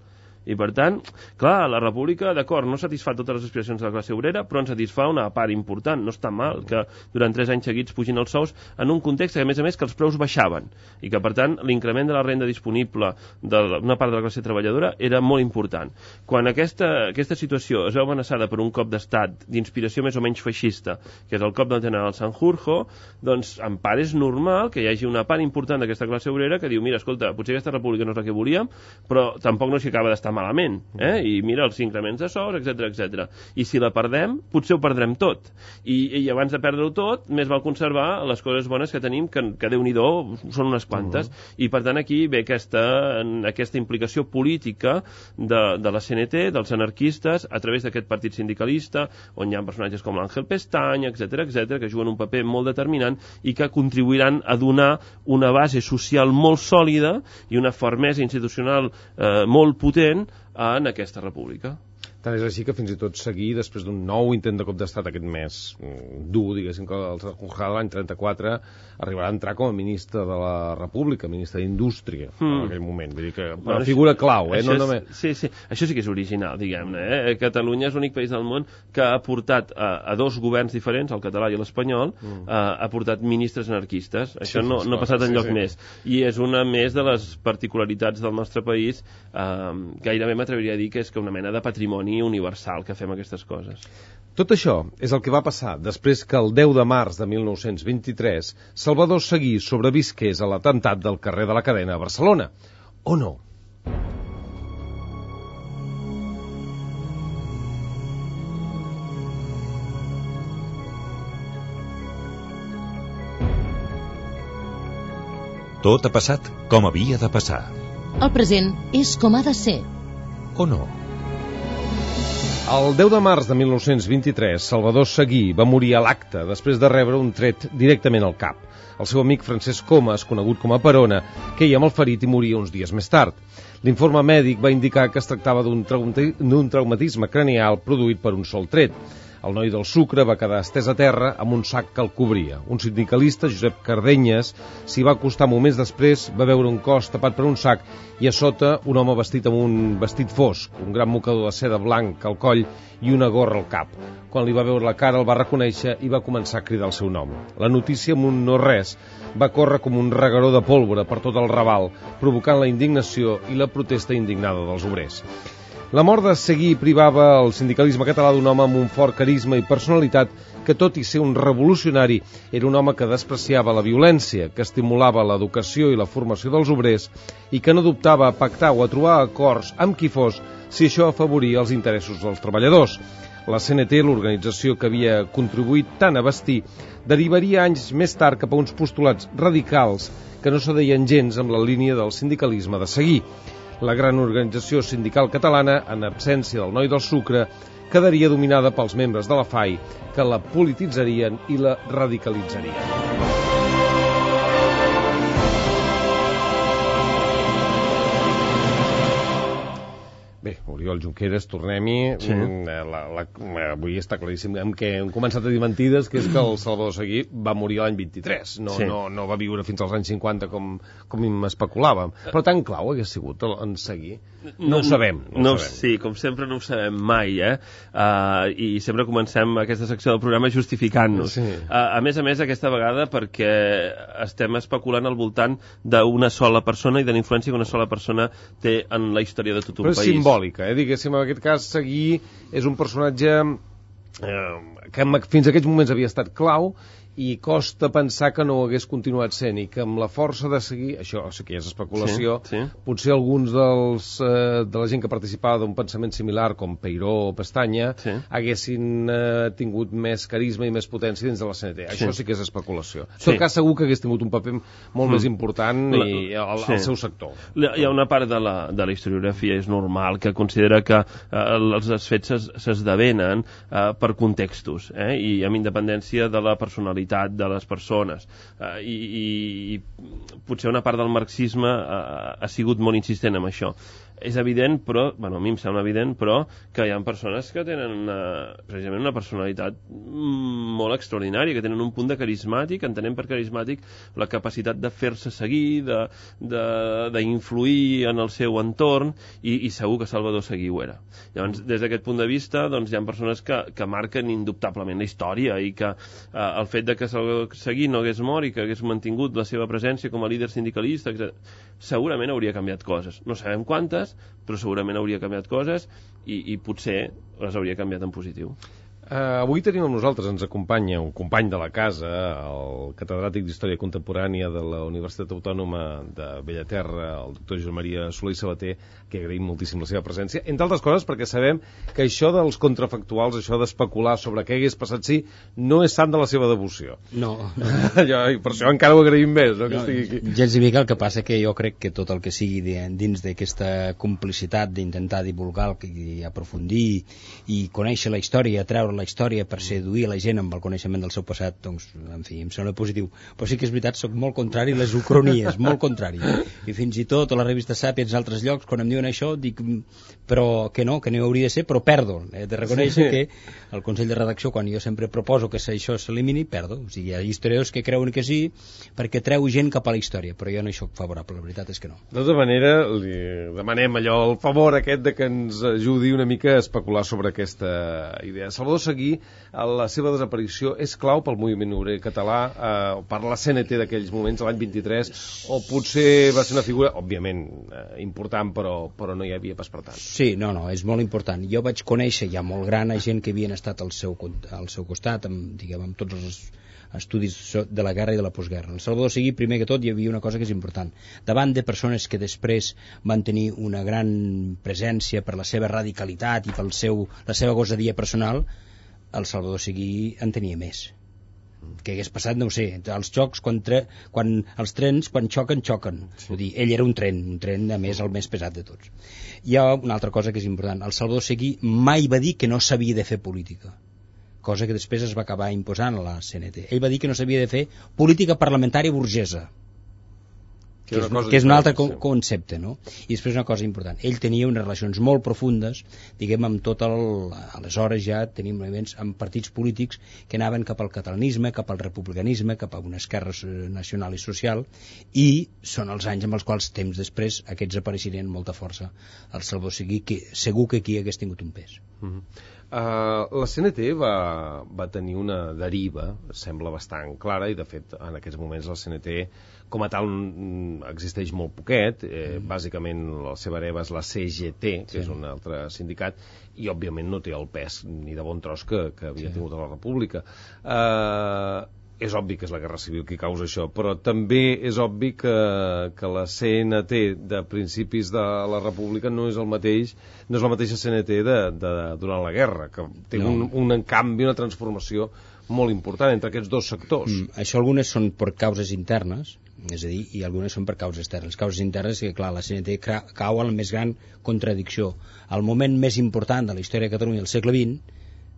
I, per tant, clar, la República, d'acord, no satisfà totes les aspiracions de la classe obrera, però en satisfà una part important. No està mal que durant tres anys seguits pugin els sous en un context que, a més a més, que els preus baixaven i que, per tant, l'increment de la renda disponible d'una part de la classe treballadora era molt important. Quan aquesta, aquesta situació es veu amenaçada per un cop d'estat d'inspiració més o menys feixista, que és el cop del general Sanjurjo, doncs, en part és normal que hi hagi una part important d'aquesta classe obrera que diu, mira, escolta, potser aquesta república no és la que volíem, però tampoc no s'hi acaba d'estar malament, eh? I mira els increments de sous, etcètera, etcètera. I si la perdem, potser ho perdrem tot. I, i abans de perdre-ho tot, més val conservar les coses bones que tenim, que, que Déu-n'hi-do, són unes quantes. Uh-huh. I per tant aquí ve aquesta, aquesta implicació política de, de la C N T, dels anarquistes, a través d'aquest partit sindicalista, on hi ha personatges com l'Àngel Pestany, etcètera, etcètera, que juguen un paper molt determinant i que contribuiran a donar una base social molt sòlida i una fermesa institucional eh, molt potent en aquesta república. Tant és així que fins i tot seguir, després d'un nou intent de cop d'estat aquest mes dur, diguéssim, que el Sanjurjada l'any trenta-quatre arribarà a entrar com a ministre de la República, ministre d'Indústria, mm. en aquell moment. Vull dir que bueno, una figura clau, eh? No és, només... Sí, sí, això sí que és original, diguem-ne. Eh? Catalunya és l'únic país del món que ha portat a, a dos governs diferents, el català i l'espanyol, mm. a, ha portat ministres anarquistes. Això sí, no, no ha passat enlloc sí, sí. més. I és una més de les particularitats del nostre país, eh, gairebé m'atreviria a dir que és que una mena de patrimoni universal que fem aquestes coses. Tot això és el que va passar després que el deu de març de mil nou-cents vint-i-tres Salvador Seguí sobrevisqués a l'atemptat del carrer de la Cadena a Barcelona. O no? Tot ha passat com havia de passar. El present és com ha de ser. O no? El deu de març de mil nou-cents vint-i-tres, Salvador Seguí va morir a l'acte després de rebre un tret directament al cap. El seu amic Francesc Comas, conegut com a Perona, queia amb el ferit i moria uns dies més tard. L'informe mèdic va indicar que es tractava d'un traumatisme cranial produït per un sol tret. El noi del Sucre va quedar estès a terra amb un sac que el cobria. Un sindicalista, Josep Cardenyes, s'hi va acostar moments després, va veure un cos tapat per un sac i a sota un home vestit amb un vestit fosc, un gran mocador de seda blanc al coll i una gorra al cap. Quan li va veure la cara el va reconèixer i va començar a cridar el seu nom. La notícia, amb un no-res, va córrer com un regueró de pólvora per tot el Raval, provocant la indignació i la protesta indignada dels obrers. La mort de Seguí privava el sindicalisme català d'un home amb un fort carisma i personalitat que, tot i ser un revolucionari, era un home que despreciava la violència, que estimulava l'educació i la formació dels obrers i que no dubtava a pactar o a trobar acords amb qui fos si això afavoria els interessos dels treballadors. La C N T, l'organització que havia contribuït tant a bastir, derivaria anys més tard cap a uns postulats radicals que no s'adeien gens amb la línia del sindicalisme de Seguí. La gran organització sindical catalana, en absència del noi del Sucre, quedaria dominada pels membres de la F A I, que la polititzarien i la radicalitzarien. Bé, Oriol Junqueras, tornem-hi. Sí. La, la, avui està claríssim que hem començat a dir mentides, que és que el Salvador Seguí va morir l'any vint-i-tres. No, sí. no, no va viure fins als anys cinquanta com, com especulàvem. Però tan clau hagués sigut en Seguí. No, no ho sabem. No, no ho sabem. Sí, com sempre no ho sabem mai, eh? Uh, I sempre comencem aquesta secció del programa justificant-nos. Sí. Uh, a més a més, aquesta vegada perquè estem especulant al voltant d'una sola persona i de la influència que una sola persona té en la història de tot un Però país. Simbòlica, eh? Diguéssim, en aquest cas, Seguí és un personatge eh, que fins a aquests moments havia estat clau i costa pensar que no ho hagués continuat sent, i que amb la força de seguir, això o sigui que és especulació, sí, sí. potser alguns dels, eh, de la gent que participava d'un pensament similar, com Peiró o Pestanya, sí. haguessin eh, tingut més carisma i més potència dins de la C N T. Sí. Això sí que és especulació. En sí. tot cas, segur que hagués tingut un paper molt mm. més important la, i al, sí. al seu sector. Hi ha una part de la, de la historiografia, és normal, que considera que eh, els fets s'esdevenen eh, per contextos, eh, i amb independència de la personalitat de les persones, uh, i, i potser una part del marxisme uh, ha sigut molt insistent en això. És evident, però, bueno, a mi em sembla evident, però que hi ha persones que tenen una, precisament una personalitat molt extraordinària, que tenen un punt de carismàtic, entenem per carismàtic la capacitat de fer-se seguir, d'influir en el seu entorn, i, i segur que Salvador Seguí ho era. Llavors, des d'aquest punt de vista, doncs, hi ha persones que, que marquen indubtablement la història, i que eh, el fet de que Salvador Seguí no hagués mort i que hagués mantingut la seva presència com a líder sindicalista, etcètera, segurament hauria canviat coses. No sabem quantes, però segurament hauria canviat coses, i, i potser les hauria canviat en positiu. Uh, avui tenim amb nosaltres, ens acompanya un company de la casa, el catedràtic d'Història Contemporània de la Universitat Autònoma de Bellaterra, el doctor Josep Maria Soler i Sabater, que agraïm moltíssim la seva presència, entre altres coses perquè sabem que això dels contrafactuals, això d'especular sobre què hagués passat si, no és sant de la seva devoció. No. no. jo, per això encara ho agraïm més, no, que no, estigui aquí. Gens i mica, el que passa que jo crec que tot el que sigui dins d'aquesta complicitat d'intentar divulgar i aprofundir i conèixer la història, treure la història per seduir la gent amb el coneixement del seu passat, doncs, en fi, em sembla positiu. Però sí que és veritat, soc molt contrari a les ucronies, molt contrari. I fins i tot a la revista Sàpiens i altres llocs, quan em diuen això, dic, però que no, que no hauria de ser, però perdo. He de reconèixer que el Consell de Redacció, quan jo sempre proposo que això s'elimini, perdo. O sigui, hi ha historiadors que creuen que sí, perquè treu gent cap a la història, però jo no hi soc favorable, la veritat és que no. De tota manera, li demanem allò, el favor aquest de que ens ajudi una mica a especular sobre aquesta idea. Salvador Seguí, la seva desaparició és clau pel moviment obrer català, eh, per la C N T d'aquells moments, l'any vint-i-tres, o potser va ser una figura, òbviament, eh, important, però, però no hi havia pas per tant. Sí, no, no, és molt important. Jo vaig conèixer ja molt gran a gent que havien estat al seu, al seu costat, amb, diguem, amb tots els estudis de la guerra i de la postguerra. El Salvador Seguí, primer que tot, hi havia una cosa que és important. Davant de persones que després van tenir una gran presència per la seva radicalitat i per seu, la seva gosadia personal, el Salvador Seguí en tenia més. Què hagués passat, no ho sé. Els xocs, quan, tre... quan els trens, quan xoquen, xoquen. Sí. Vull dir, ell era un tren, un tren, a més, el més pesat de tots. Hi ha una altra cosa que és important. El Salvador Seguí mai va dir que no s'havia de fer política, cosa que després es va acabar imposant a la C N T. Ell va dir que no s'havia de fer política parlamentària burgesa, que és, que és un altre co concepte, no? I després una cosa important, ell tenia unes relacions molt profundes, diguem, amb tot el... aleshores ja tenim elements amb partits polítics que anaven cap al catalanisme, cap al republicanisme, cap a una esquerra nacional i social, i són els anys amb els quals temps després aquests apareixerien amb molta força. El Salvador Seguí, que segur que aquí hagués tingut un pes. Mm-hmm. Uh, la C N T va, va tenir una deriva, sembla bastant clara, i de fet en aquests moments la C N T com a tal existeix molt poquet, eh, mm. bàsicament la seva hereva és la C G T, que sí. és un altre sindicat, i òbviament no té el pes ni de bon tros que, que havia sí. tingut a la República. Uh, és obvi que és la Guerra Civil qui causa això, però també és obvi que, que la C N T de principis de la República no és el mateix, no és la mateixa C N T de, de, durant la guerra, que té no. un, un canvi, una transformació molt important entre aquests dos sectors. Mm, això algunes són per causes internes, és a dir, i algunes són per causes externes. Les causes internes és que, clar, la C N T cau en la més gran contradicció. El moment més important de la història de Catalunya del segle vint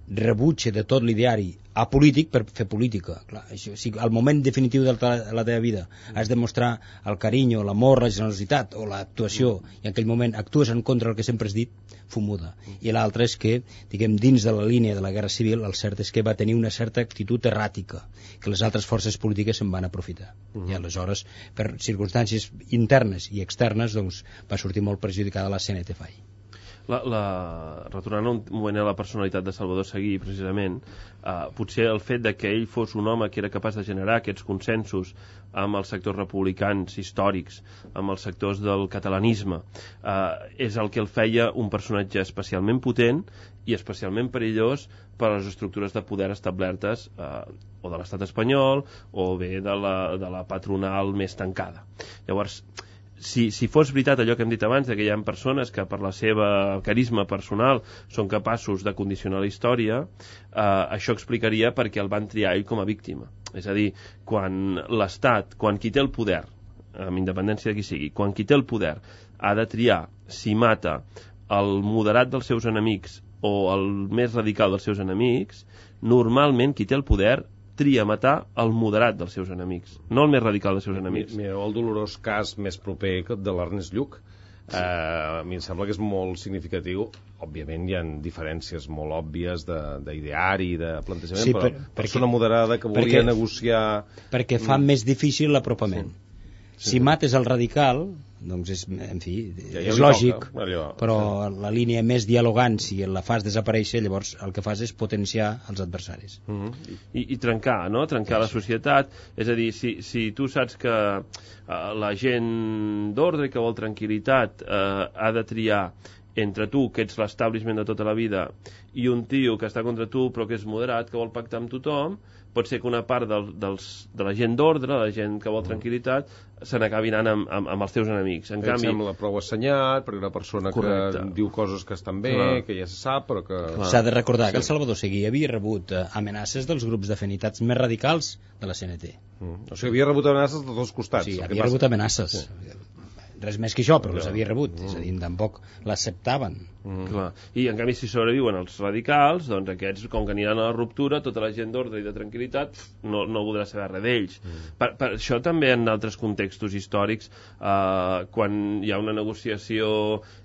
rebutja de tot l'ideari apolític per fer política. Clar, això, si al moment definitiu de la, la teva vida has de mostrar el carinyo, l'amor, la generositat o l'actuació, i en aquell moment actues en contra del que sempre has dit, fumuda. I l'altre és que, diguem, dins de la línia de la Guerra Civil, el cert és que va tenir una certa actitud erràtica, que les altres forces polítiques se'n van aprofitar. Uh-huh. I aleshores, per circumstàncies internes i externes, doncs, va sortir molt perjudicada la C N T F A I. La, la, retornant un moment a la personalitat de Salvador Seguí, precisament, eh, potser el fet de que ell fos un home que era capaç de generar aquests consensos amb els sectors republicans històrics, amb els sectors del catalanisme, eh, és el que el feia un personatge especialment potent i especialment perillós per a les estructures de poder establertes eh, o de l'estat espanyol o bé de la, de la patronal més tancada. Llavors, si, si fos veritat allò que hem dit abans, que hi ha persones que per la seva carisma personal són capaços de condicionar la història, eh, això explicaria per què el van triar ell com a víctima. És a dir, quan l'Estat, quan qui té el poder, amb independència de qui sigui, quan qui té el poder ha de triar si mata el moderat dels seus enemics o el més radical dels seus enemics, normalment qui té el poder tria matar el moderat dels seus enemics, no el més radical dels seus enemics. Mireu el dolorós cas més proper de l'Ernest Lluch. Eh, a mi em sembla que és molt significatiu. Òbviament hi ha diferències molt òbvies d'ideari, de, de plantejament, sí, però per, persona perquè, moderada que volia perquè, negociar... Perquè fa mm. més difícil l'apropament. Sí. Sí. Si mates el radical, doncs és, en fi, ja, ja és lògic, toca, allò, però sí. La línia més dialogant, si la fas desaparèixer, llavors el que fas és potenciar els adversaris. Mm-hmm. I, I trencar, no? Trencar sí. La societat. És a dir, si, si tu saps que uh, la gent d'ordre que vol tranquil·litat uh, ha de triar entre tu, que ets l'establishment de tota la vida, i un tio que està contra tu però que és moderat, que vol pactar amb tothom, pot ser que una part del, dels, de la gent d'ordre, la gent que vol tranquil·litat, se n'acabi anant amb, amb, amb els teus enemics. En canvi, sembla prou assenyat, perquè una persona correcte. Que diu coses que estan bé, clar. Que ja se sap, però que... S'ha de recordar sí. Que el Salvador Seguí havia rebut eh, amenaces dels grups d'afinitats més radicals de la C N T. Mm. O sigui, havia rebut amenaces de dos costats. Sí, havia rebut amenaces. Sí. Res més que això, però les havia rebut, mm. és a dir, tampoc l'acceptaven. Mm. Clar. I en canvi si sobreviuen els radicals, doncs aquests, com que aniran a la ruptura, tota la gent d'ordre i de tranquil·litat no, no voldrà saber res d'ells. Mm. Per, per això també en altres contextos històrics, eh, quan hi ha una negociació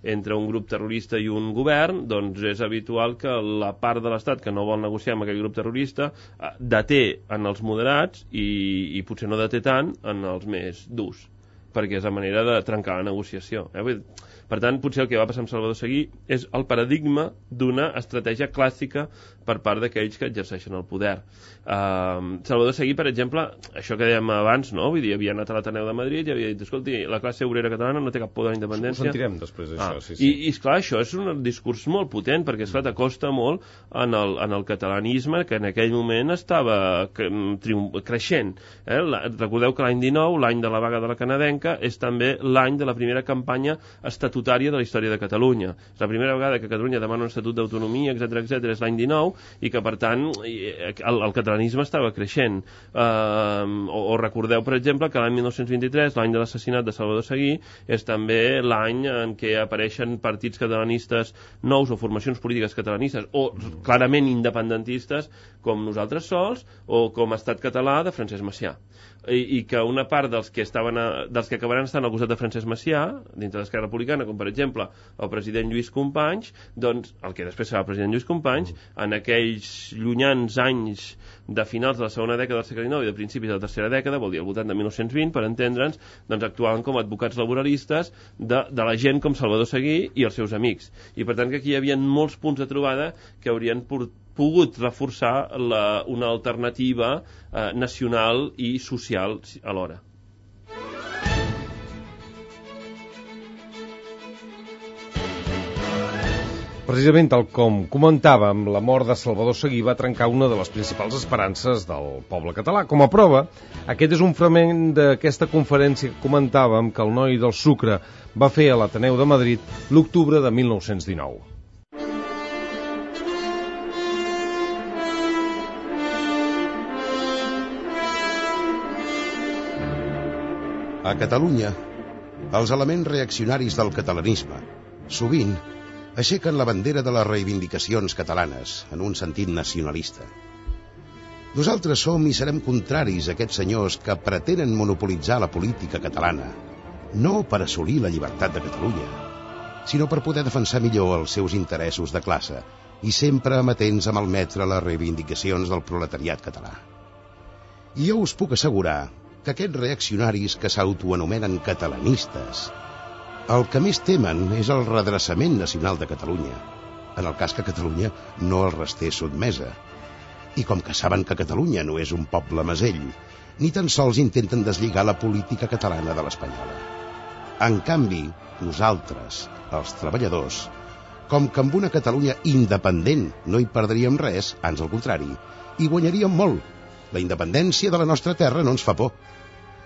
entre un grup terrorista i un govern, doncs és habitual que la part de l'Estat que no vol negociar amb aquell grup terrorista eh, deté en els moderats i, i potser no deté tant en els més durs, perquè és la manera de trencar la negociació. Eh? Per tant, potser el que va passar amb Salvador Seguí és el paradigma d'una estratègia clàssica per part d'aquells que exerceixen el poder. Uh, Salvador Seguí, per exemple, això que dèiem abans, no? Vull dir, havia anat a l'Ateneu de Madrid i havia dit, escolti, la classe obrera catalana no té cap por de la independència. Ho sentirem després d'això, ah, sí, sí. I, i esclar, això és un discurs molt potent, perquè esclar, t'acosta molt en el, en el catalanisme que en aquell moment estava creixent. Eh? La, recordeu que l'any dinou, l'any de la vaga de la canadenca, és també l'any de la primera campanya estatutària de la història de Catalunya. És la primera vegada que Catalunya demana un estatut d'autonomia, etcètera, etcètera, és l'any dinou, i que, per tant, el, el catalanisme estava creixent. Uh, o, o recordeu, per exemple, que l'any mil nou-cents vint-i-tres, l'any de l'assassinat de Salvador Seguí, és també l'any en què apareixen partits catalanistes nous o formacions polítiques catalanistes, o clarament independentistes, com Nosaltres Sols, o com Estat Català de Francesc Macià. I, i que una part dels que estaven a, dels que acabaran estant al costat de Francesc Macià, dintre d'Esquerra Republicana, com per exemple el president Lluís Companys, doncs el que després serà el president Lluís Companys, en aquells llunyans anys de finals de la segona dècada del segle dinou i de principis de la tercera dècada, vol dir al voltant de mil nou-cents vint, per entendre'ns, doncs actuaven com a advocats laboralistes de, de la gent com Salvador Seguí i els seus amics. I per tant que aquí hi havia molts punts de trobada que haurien portat pogut reforçar la, una alternativa eh, nacional i social alhora. Precisament, tal com comentàvem, la mort de Salvador Seguí va trencar una de les principals esperances del poble català. Com a prova, aquest és un fragment d'aquesta conferència que comentàvem que el noi del Sucre va fer a l'Ateneu de Madrid l'octubre de mil nou-cents dinou. A Catalunya, els elements reaccionaris del catalanisme sovint aixequen la bandera de les reivindicacions catalanes en un sentit nacionalista. Nosaltres som i serem contraris a aquests senyors que pretenen monopolitzar la política catalana, no per assolir la llibertat de Catalunya, sinó per poder defensar millor els seus interessos de classe i sempre amatents a malmetre les reivindicacions del proletariat català. I jo us puc assegurar que aquests reaccionaris que s'autoanomenen catalanistes el que més temen és el redreçament nacional de Catalunya, en el cas que Catalunya no els restés sotmesa. I com que saben que Catalunya no és un poble mesell, ni tan sols intenten deslligar la política catalana de l'espanyola. En canvi, nosaltres, els treballadors, Com que amb una Catalunya independent no hi perdríem res, ans al contrari, hi guanyaríem molt. La independència de la nostra terra no ens fa por.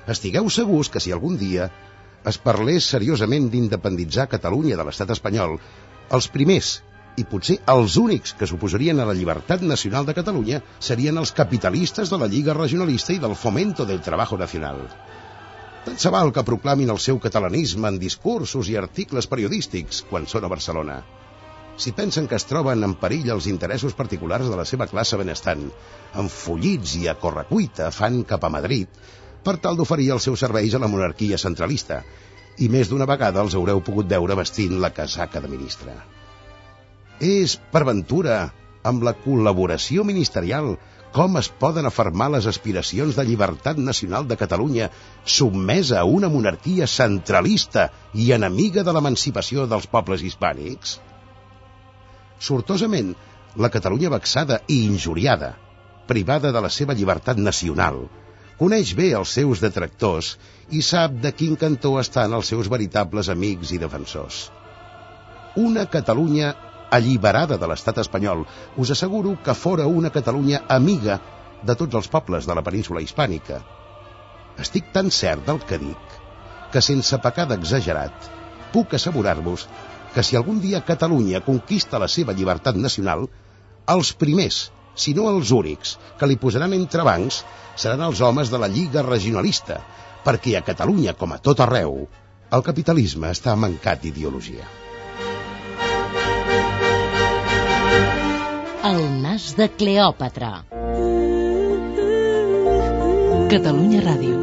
Estigueu segurs que si algun dia es parlés seriosament d'independitzar Catalunya de l'estat espanyol, els primers, i potser els únics que s'oposarien a la llibertat nacional de Catalunya serien els capitalistes de la Lliga Regionalista i del Fomento del Trabajo Nacional. Tant se val que proclamin el seu catalanisme en discursos i articles periodístics quan són a Barcelona. Si pensen que es troben en perill els interessos particulars de la seva classe benestant, enfollits i a correcuita fan cap a Madrid per tal d'oferir els seus serveis a la monarquia centralista, i més d'una vegada els haureu pogut veure vestint la casaca de ministre. És, per ventura, amb la col·laboració ministerial, com es poden afermar les aspiracions de llibertat nacional de Catalunya sotmesa a una monarquia centralista i enemiga de l'emancipació dels pobles hispànics? Sortosament, la Catalunya vexada i injuriada, privada de la seva llibertat nacional, coneix bé els seus detractors i sap de quin cantó estan els seus veritables amics i defensors. Una Catalunya alliberada de l'estat espanyol, us asseguro que fora una Catalunya amiga de tots els pobles de la península hispànica. Estic tan cert del que dic, que sense pecat exagerat, puc assegurar-vos que si algun dia Catalunya conquista la seva llibertat nacional, els primers, si no els únics, que li posaran entrebancs seran els homes de la Lliga Regionalista, perquè a Catalunya, com a tot arreu, el capitalisme està mancat d'ideologia. El nas de Cleòpatra. Catalunya Ràdio.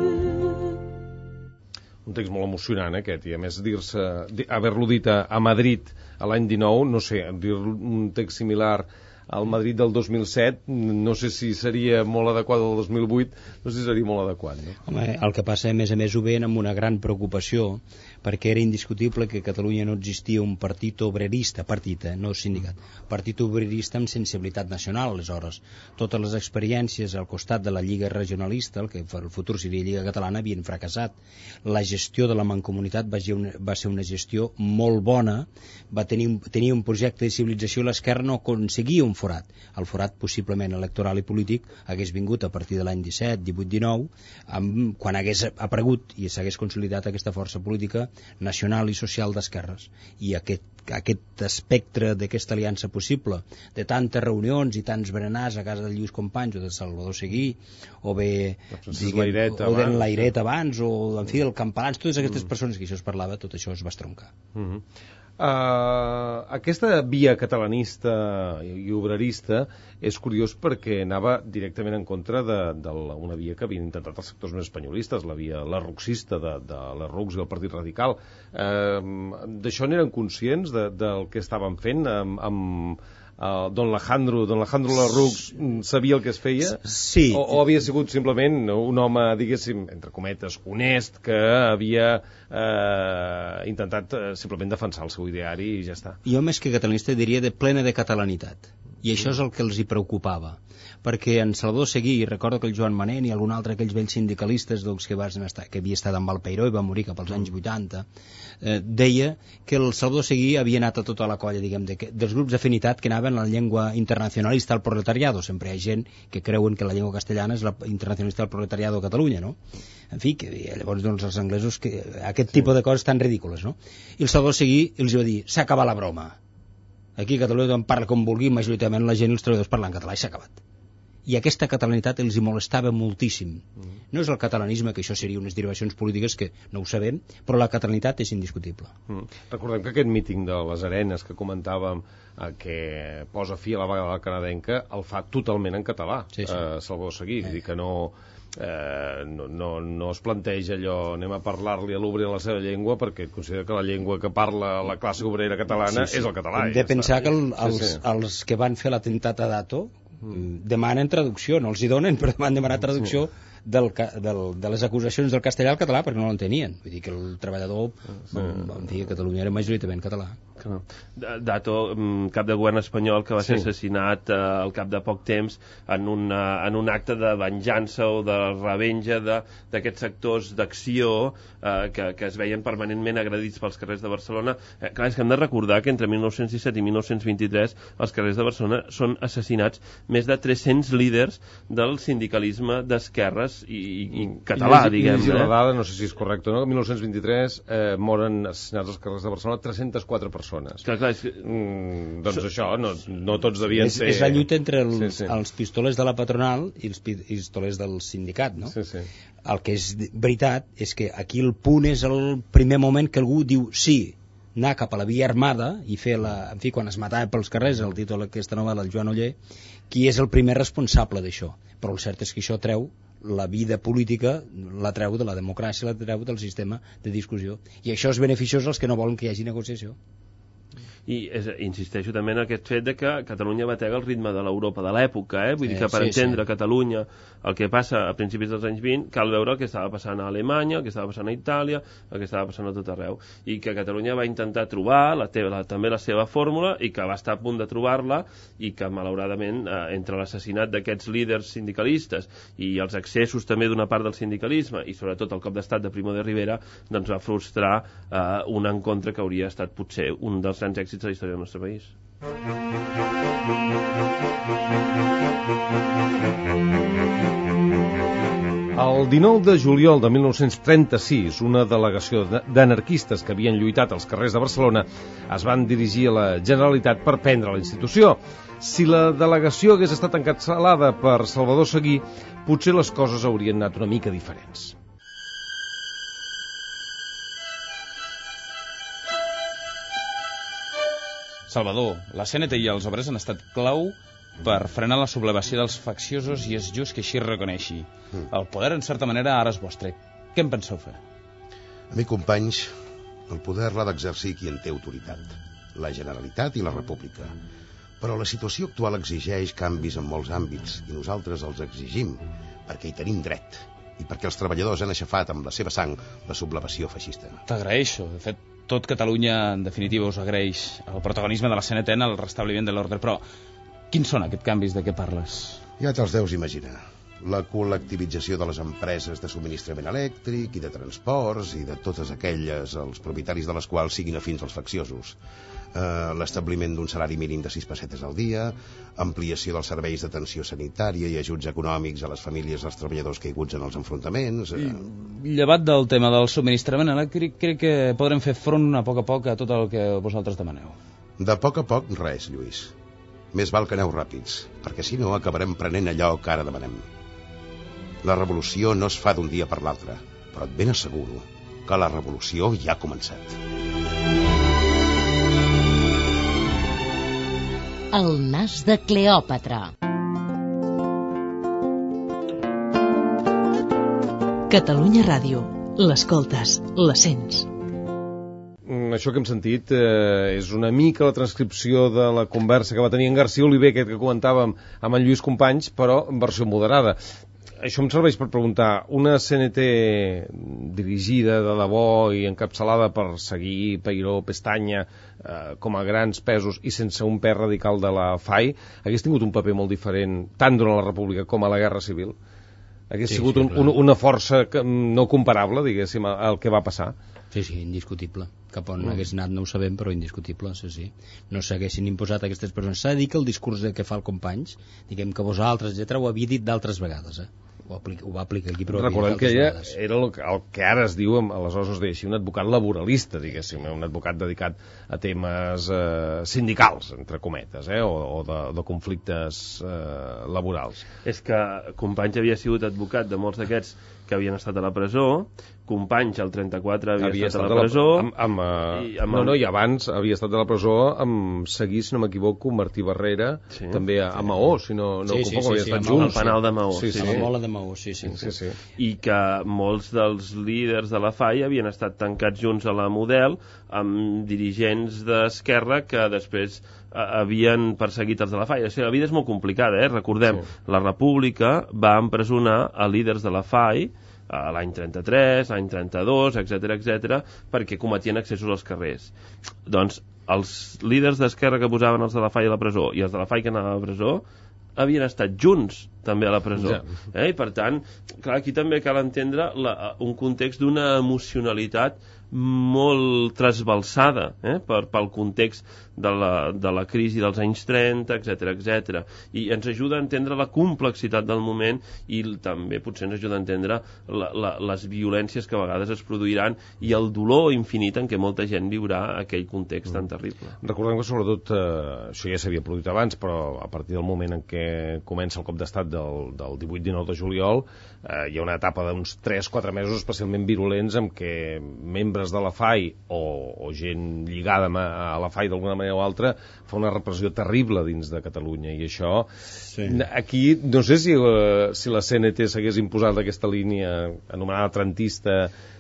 Un text molt emocionant aquest, i a més dir-se, haver-lo dit a, a Madrid a l'any dinou, no sé, dir un text similar al Madrid del dos mil set, no sé si seria molt adequat al dos mil vuit, no sé si seria molt adequat, no? Home, el que passa, a més a més, ho veien amb una gran preocupació, perquè era indiscutible que a Catalunya no existia un partit obrerista, partit, eh, no sindicat, partit obrerista amb sensibilitat nacional, aleshores. Totes les experiències al costat de la Lliga Regionalista, el que per el futur seria Lliga Catalana, havien fracassat. La gestió de la Mancomunitat va ser una, va ser una gestió molt bona, va tenir, tenia un projecte de civilització, l'esquerra no aconseguia un forat. El forat possiblement electoral i polític hagués vingut a partir de l'any disset, divuit, dinou, amb, quan hagués aparegut i s'hagués consolidat aquesta força política nacional i social d'esquerres. I aquest, aquest espectre d'aquesta aliança possible, de tantes reunions i tants berenars a casa de Lluís Companys o de Salvador Seguí, o bé diguem, o d'en Lairet abans, o en fi, del Campalans, totes aquestes mm. persones que això es parlava, tot això es va estroncar. Mm -hmm. Uh, aquesta via catalanista i obrerista és curiós perquè anava directament en contra d'una via que havien intentat els sectors més espanyolistes, la via larruxista de, de la R U X i el Partit Radical. Uh, D'això n'eren conscients de, del que estaven fent amb, amb Uh, don Alejandro, don Alejandro Lerroux sabia el que es feia? Sí. O, o havia sigut simplement un home, diguéssim, entre cometes, honest, que havia eh, intentat eh, simplement defensar el seu ideari i ja està? Jo més que catalanista diria de plena de catalanitat. I això és el que els hi preocupava. Perquè en Salvador Seguí, recordo que el Joan Manent i algun altre d'aquells vells sindicalistes doncs, que, estar, que havia estat amb el Peiró i va morir cap als anys vuitanta, eh, deia que el Salvador Seguí havia anat a tota la colla, diguem, de, dels grups d'afinitat que anaven a la llengua internacionalista al proletariado. Sempre hi ha gent que creuen que la llengua castellana és la internacionalista del proletariado a Catalunya, no? En fi, que llavors doncs, els anglesos, que aquest sí. tipus de coses tan ridícules, no? I el Salvador Seguí els va dir, s'ha acabat la broma. Aquí a Catalunya tothom parla com vulgui, majoritàriament la gent i els treballadors parlen català i s'ha acabat. I aquesta catalanitat els hi molestava moltíssim. Mm. No és el catalanisme, que això seria unes derivacions polítiques que no ho sabem, però la catalanitat és indiscutible. Mm. Recordem que aquest míting de les Arenes que comentàvem, eh, que posa fi a la vaga canadenca, el fa totalment en català, sí, sí. Eh, Salvador Seguí, eh. dir que no... Eh, no, no, no es planteja allò anem a parlar-li a l'obrer en la seva llengua perquè considera que la llengua que parla la classe obrera catalana sí, sí. és el català. Hem de ja pensar està. que el, els, sí, sí. els que van fer l'atemptat a Dato mm. demanen traducció, no els hi donen, però van demanar traducció sí. del, del, de les acusacions del castellà al català perquè no l'entenien. Vull dir que el treballador sí. en fi, a Catalunya era majoritàriament català. Dato, cap de govern espanyol que va ser Sí. assassinat eh, al cap de poc temps en, una, en un acte de venjança o de revenja d'aquests sectors d'acció eh, que, que es veien permanentment agredits pels carrers de Barcelona. Eh, clar, és que hem de recordar que entre mil nou-cents disset i mil nou-cents vint-i-tres als carrers de Barcelona són assassinats més de tres-cents líders del sindicalisme d'esquerres i, i, i català, I diguem. I la eh? dada, no sé si és correcte o no, mil nou-cents vint-i-tres eh, moren assassinats als carrers de Barcelona tres-centes quatre persones. Clar, clar, és que... Mm, doncs so... això, no, no tots devien és, ser... És la lluita entre els, sí, sí. els pistolers de la patronal i els pistolers del sindicat, no? Sí, sí. El que és veritat és que aquí el punt és el primer moment que algú diu sí, anar cap a la via armada i fer la... En fi, quan es matava pels carrers, el títol d'aquesta novel·la, el Joan Oller, qui és el primer responsable d'això. Però el cert és que això treu la vida política, la treu de la democràcia, la treu del sistema de discussió. I això és beneficiós als que no volen que hi hagi negociació. I és, insisteixo també en aquest fet de que Catalunya batega el ritme de l'Europa de l'època, eh? Vull Sí, dir que per sí, entendre sí. Catalunya, el que passa a principis dels anys vint, cal veure el que estava passant a Alemanya, el que estava passant a Itàlia, el que estava passant a tot arreu, i que Catalunya va intentar trobar la teva, la, també la seva fórmula, i que va estar a punt de trobar-la, i que malauradament eh, entre l'assassinat d'aquests líders sindicalistes i els excessos també d'una part del sindicalisme, i sobretot el cop d'estat de Primo de Rivera, doncs va frustrar eh, un encontre que hauria estat potser un dels grans èxits de la història del nostre país. El dinou de juliol de mil nou-cents trenta-sis, una delegació d'anarquistes que havien lluitat als carrers de Barcelona es van dirigir a la Generalitat per prendre la institució. Si la delegació hagués estat encapçalada per Salvador Seguí, potser les coses haurien anat una mica diferents. Salvador, la C N T i els obrers han estat clau per frenar la sublevació dels facciosos i és just que així es reconeixi. Mm. El poder, en certa manera, ara és vostre. Què en penseu fer? A mi, companys, el poder l'ha d'exercir qui en té autoritat, la Generalitat i la República. Però la situació actual exigeix canvis en molts àmbits i nosaltres els exigim perquè hi tenim dret i perquè els treballadors han aixafat amb la seva sang la sublevació feixista. T'agraeixo. De fet, tot Catalunya, en definitiva, us agraeix el protagonisme de la C N T en el restabliment de l'ordre. Però quins són aquests canvis de què parles? Ja te'ls deus imaginar. La col·lectivització de les empreses de subministrament elèctric i de transports i de totes aquelles, els propietaris de les quals siguin afins als facciosos. Uh, l'establiment d'un salari mínim de sis pessetes al dia, ampliació dels serveis d'atenció sanitària i ajuts econòmics a les famílies dels treballadors caiguts en els enfrontaments. Uh... Llevat del tema del subministrament elèctric, crec que podrem fer front a poc a poc a tot el que vosaltres demaneu. De poc a poc res, Lluís. Més val que aneu ràpids, perquè si no acabarem prenent allò que ara demanem. La revolució no es fa d'un dia per l'altre, però et ben asseguro que la revolució ja ha començat. El nas de Cleòpatra. Catalunya Ràdio. L'escoltes, la sents. Això que hem sentit eh, és una mica la transcripció de la conversa que va tenir en García Oliver, aquest que comentàvem amb en Lluís Companys, però en versió moderada. Això em serveix per preguntar, una C N T dirigida de debò i encapçalada per Seguí, Peiró, Pestanya, eh, com a grans pesos i sense un pes radical de la F A I, hagués tingut un paper molt diferent tant durant la República com a la Guerra Civil? Hagués sí, sigut un, un, una força que, no comparable, diguéssim, al que va passar? Sí, sí, indiscutible. Cap on mm. hagués anat no ho sabem, però indiscutible, sí, sí. No s'haguessin imposat aquestes persones. S'ha de dir que el discurs que fa el Companys, diguem que vosaltres, etcètera, ho havia dit d'altres vegades, eh? Ho, aplica, ho va aplicar aquí, però recordem que ella era el, el que ara es diu, aleshores es deia així, un advocat laboralista, diguéssim, un advocat dedicat a temes eh, sindicals, entre cometes, eh, o, o de, de conflictes eh, laborals. És que Companys havia sigut advocat de molts d'aquests que havien estat a la presó, Companys al trenta-quatre havia, havia estat, estat a la presó, amb, amb, amb, i amb no, el... no, i abans havia estat a la presó amb Seguí, si no m'equivoco, Martí Barrera, sí, també a, a Maó, si no, no sí, sí, confoco, sí, havia sí, estat junts. Al penal de Maó. Sí, sí, a sí. la mola de Maó, sí, sí. sí, sí. I que molts dels líders de la F A I havien estat tancats junts a la Model amb dirigents d'Esquerra que després havien perseguit els de la F A I. O sigui, la vida és molt complicada, eh? Recordem, sí. La República va empresonar a líders de la F A I a l'any trenta-tres, l'any trenta-dos, etcètera, etcètera, perquè cometien excessos als carrers. Doncs els líders d'Esquerra que posaven els de la F A I a la presó i els de la F A I que anaven a la presó havien estat junts també a la presó. Ja. Eh? I per tant, clar, aquí també cal entendre la, un context d'una emocionalitat molt trasbalsada eh? per, pel context de la, de la crisi dels anys trenta, etcètera, etcètera. I ens ajuda a entendre la complexitat del moment i també potser ens ajuda a entendre la, la, les violències que a vegades es produiran i el dolor infinit en què molta gent viurà aquell context mm. tan terrible. Recordem que sobretot, eh, això ja s'havia produït abans, però a partir del moment en què comença el cop d'estat del, del divuit dinou de juliol, eh, hi ha una etapa d'uns tres quatre mesos especialment virulents en què membres de la F A I o, o gent lligada a la F A I d'alguna manera o altra fa una repressió terrible dins de Catalunya i això, sí. Aquí no sé si, uh, si la C N T s'hagués imposat aquesta línia anomenada trentista,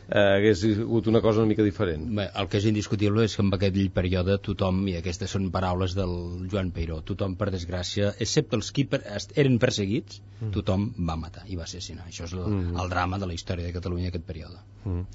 eh, hagués sigut una cosa una mica diferent. Bé, el que és indiscutible és que en aquell període tothom, i aquestes són paraules del Joan Peiró, tothom per desgràcia, excepte els que per, eren perseguits, mm. tothom va matar i va assassinar. Això és el, mm. el drama de la història de Catalunya aquest període. Mm.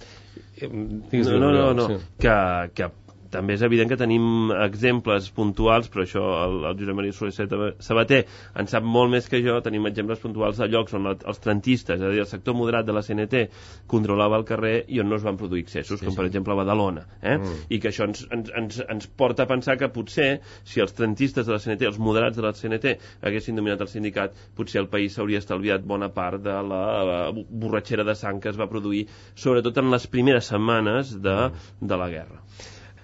No, no, no, no. Sí. Que, que també és evident que tenim exemples puntuals, però això el, el Josep Maria Soler Sabater en sap molt més que jo. Tenim exemples puntuals de llocs on els trentistes, és a dir, el sector moderat de la C N T controlava el carrer i on no es van produir excessos, sí, com sí. per exemple a Badalona, eh? Mm. I que això ens, ens, ens, ens porta a pensar que potser si els trentistes de la C N T, els moderats de la C N T haguessin dominat el sindicat, potser el país s'hauria estalviat bona part de la, la borratxera de sang que es va produir, sobretot en les primeres setmanes de, de la guerra.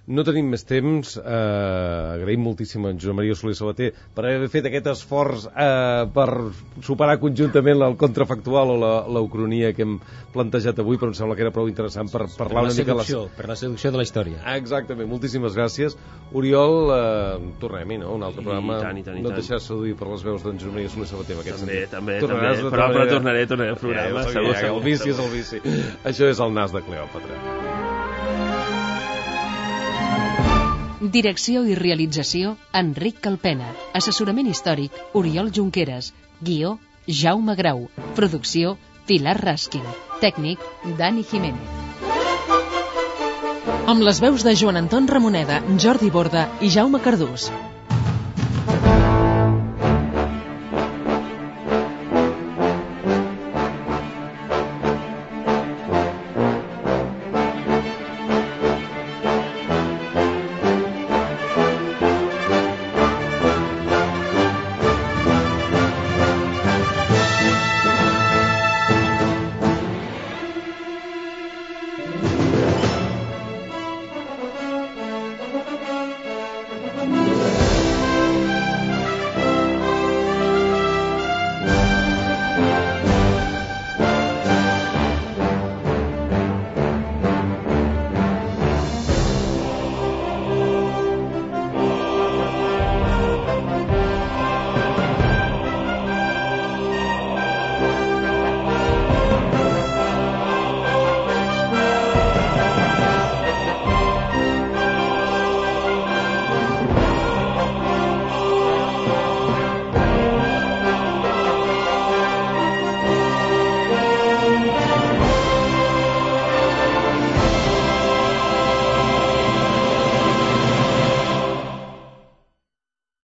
No tenim més temps. Eh, agraïm moltíssim a en Josep Maria Soler Sabater per haver fet aquest esforç eh, per superar conjuntament el contrafactual o la, la ucronia que hem plantejat avui, però em sembla que era prou interessant per parlar per una mica... Seducció, la... Per la seducció de la història. Ah, exactament, moltíssimes gràcies. Oriol, eh, tornem-hi, no? Un altre I, programa. I tant, i tant, i no et tant. deixaràs seduir per les veus d'en Josep Maria Soler Sabater. També, també, també. Però, però tornaré, tornaré al programa. Ja, segur, ja, segur, el vici és el vici. Això és el nas de Cleòpatra. Direcció i realització, Enric Calpena. Assessorament històric, Oriol Junqueras. Guió, Jaume Grau. Producció, Pilar Raskin. Tècnic, Dani Jiménez. Amb les veus de Joan Anton Ramoneda, Jordi Borda i Jaume Cardús.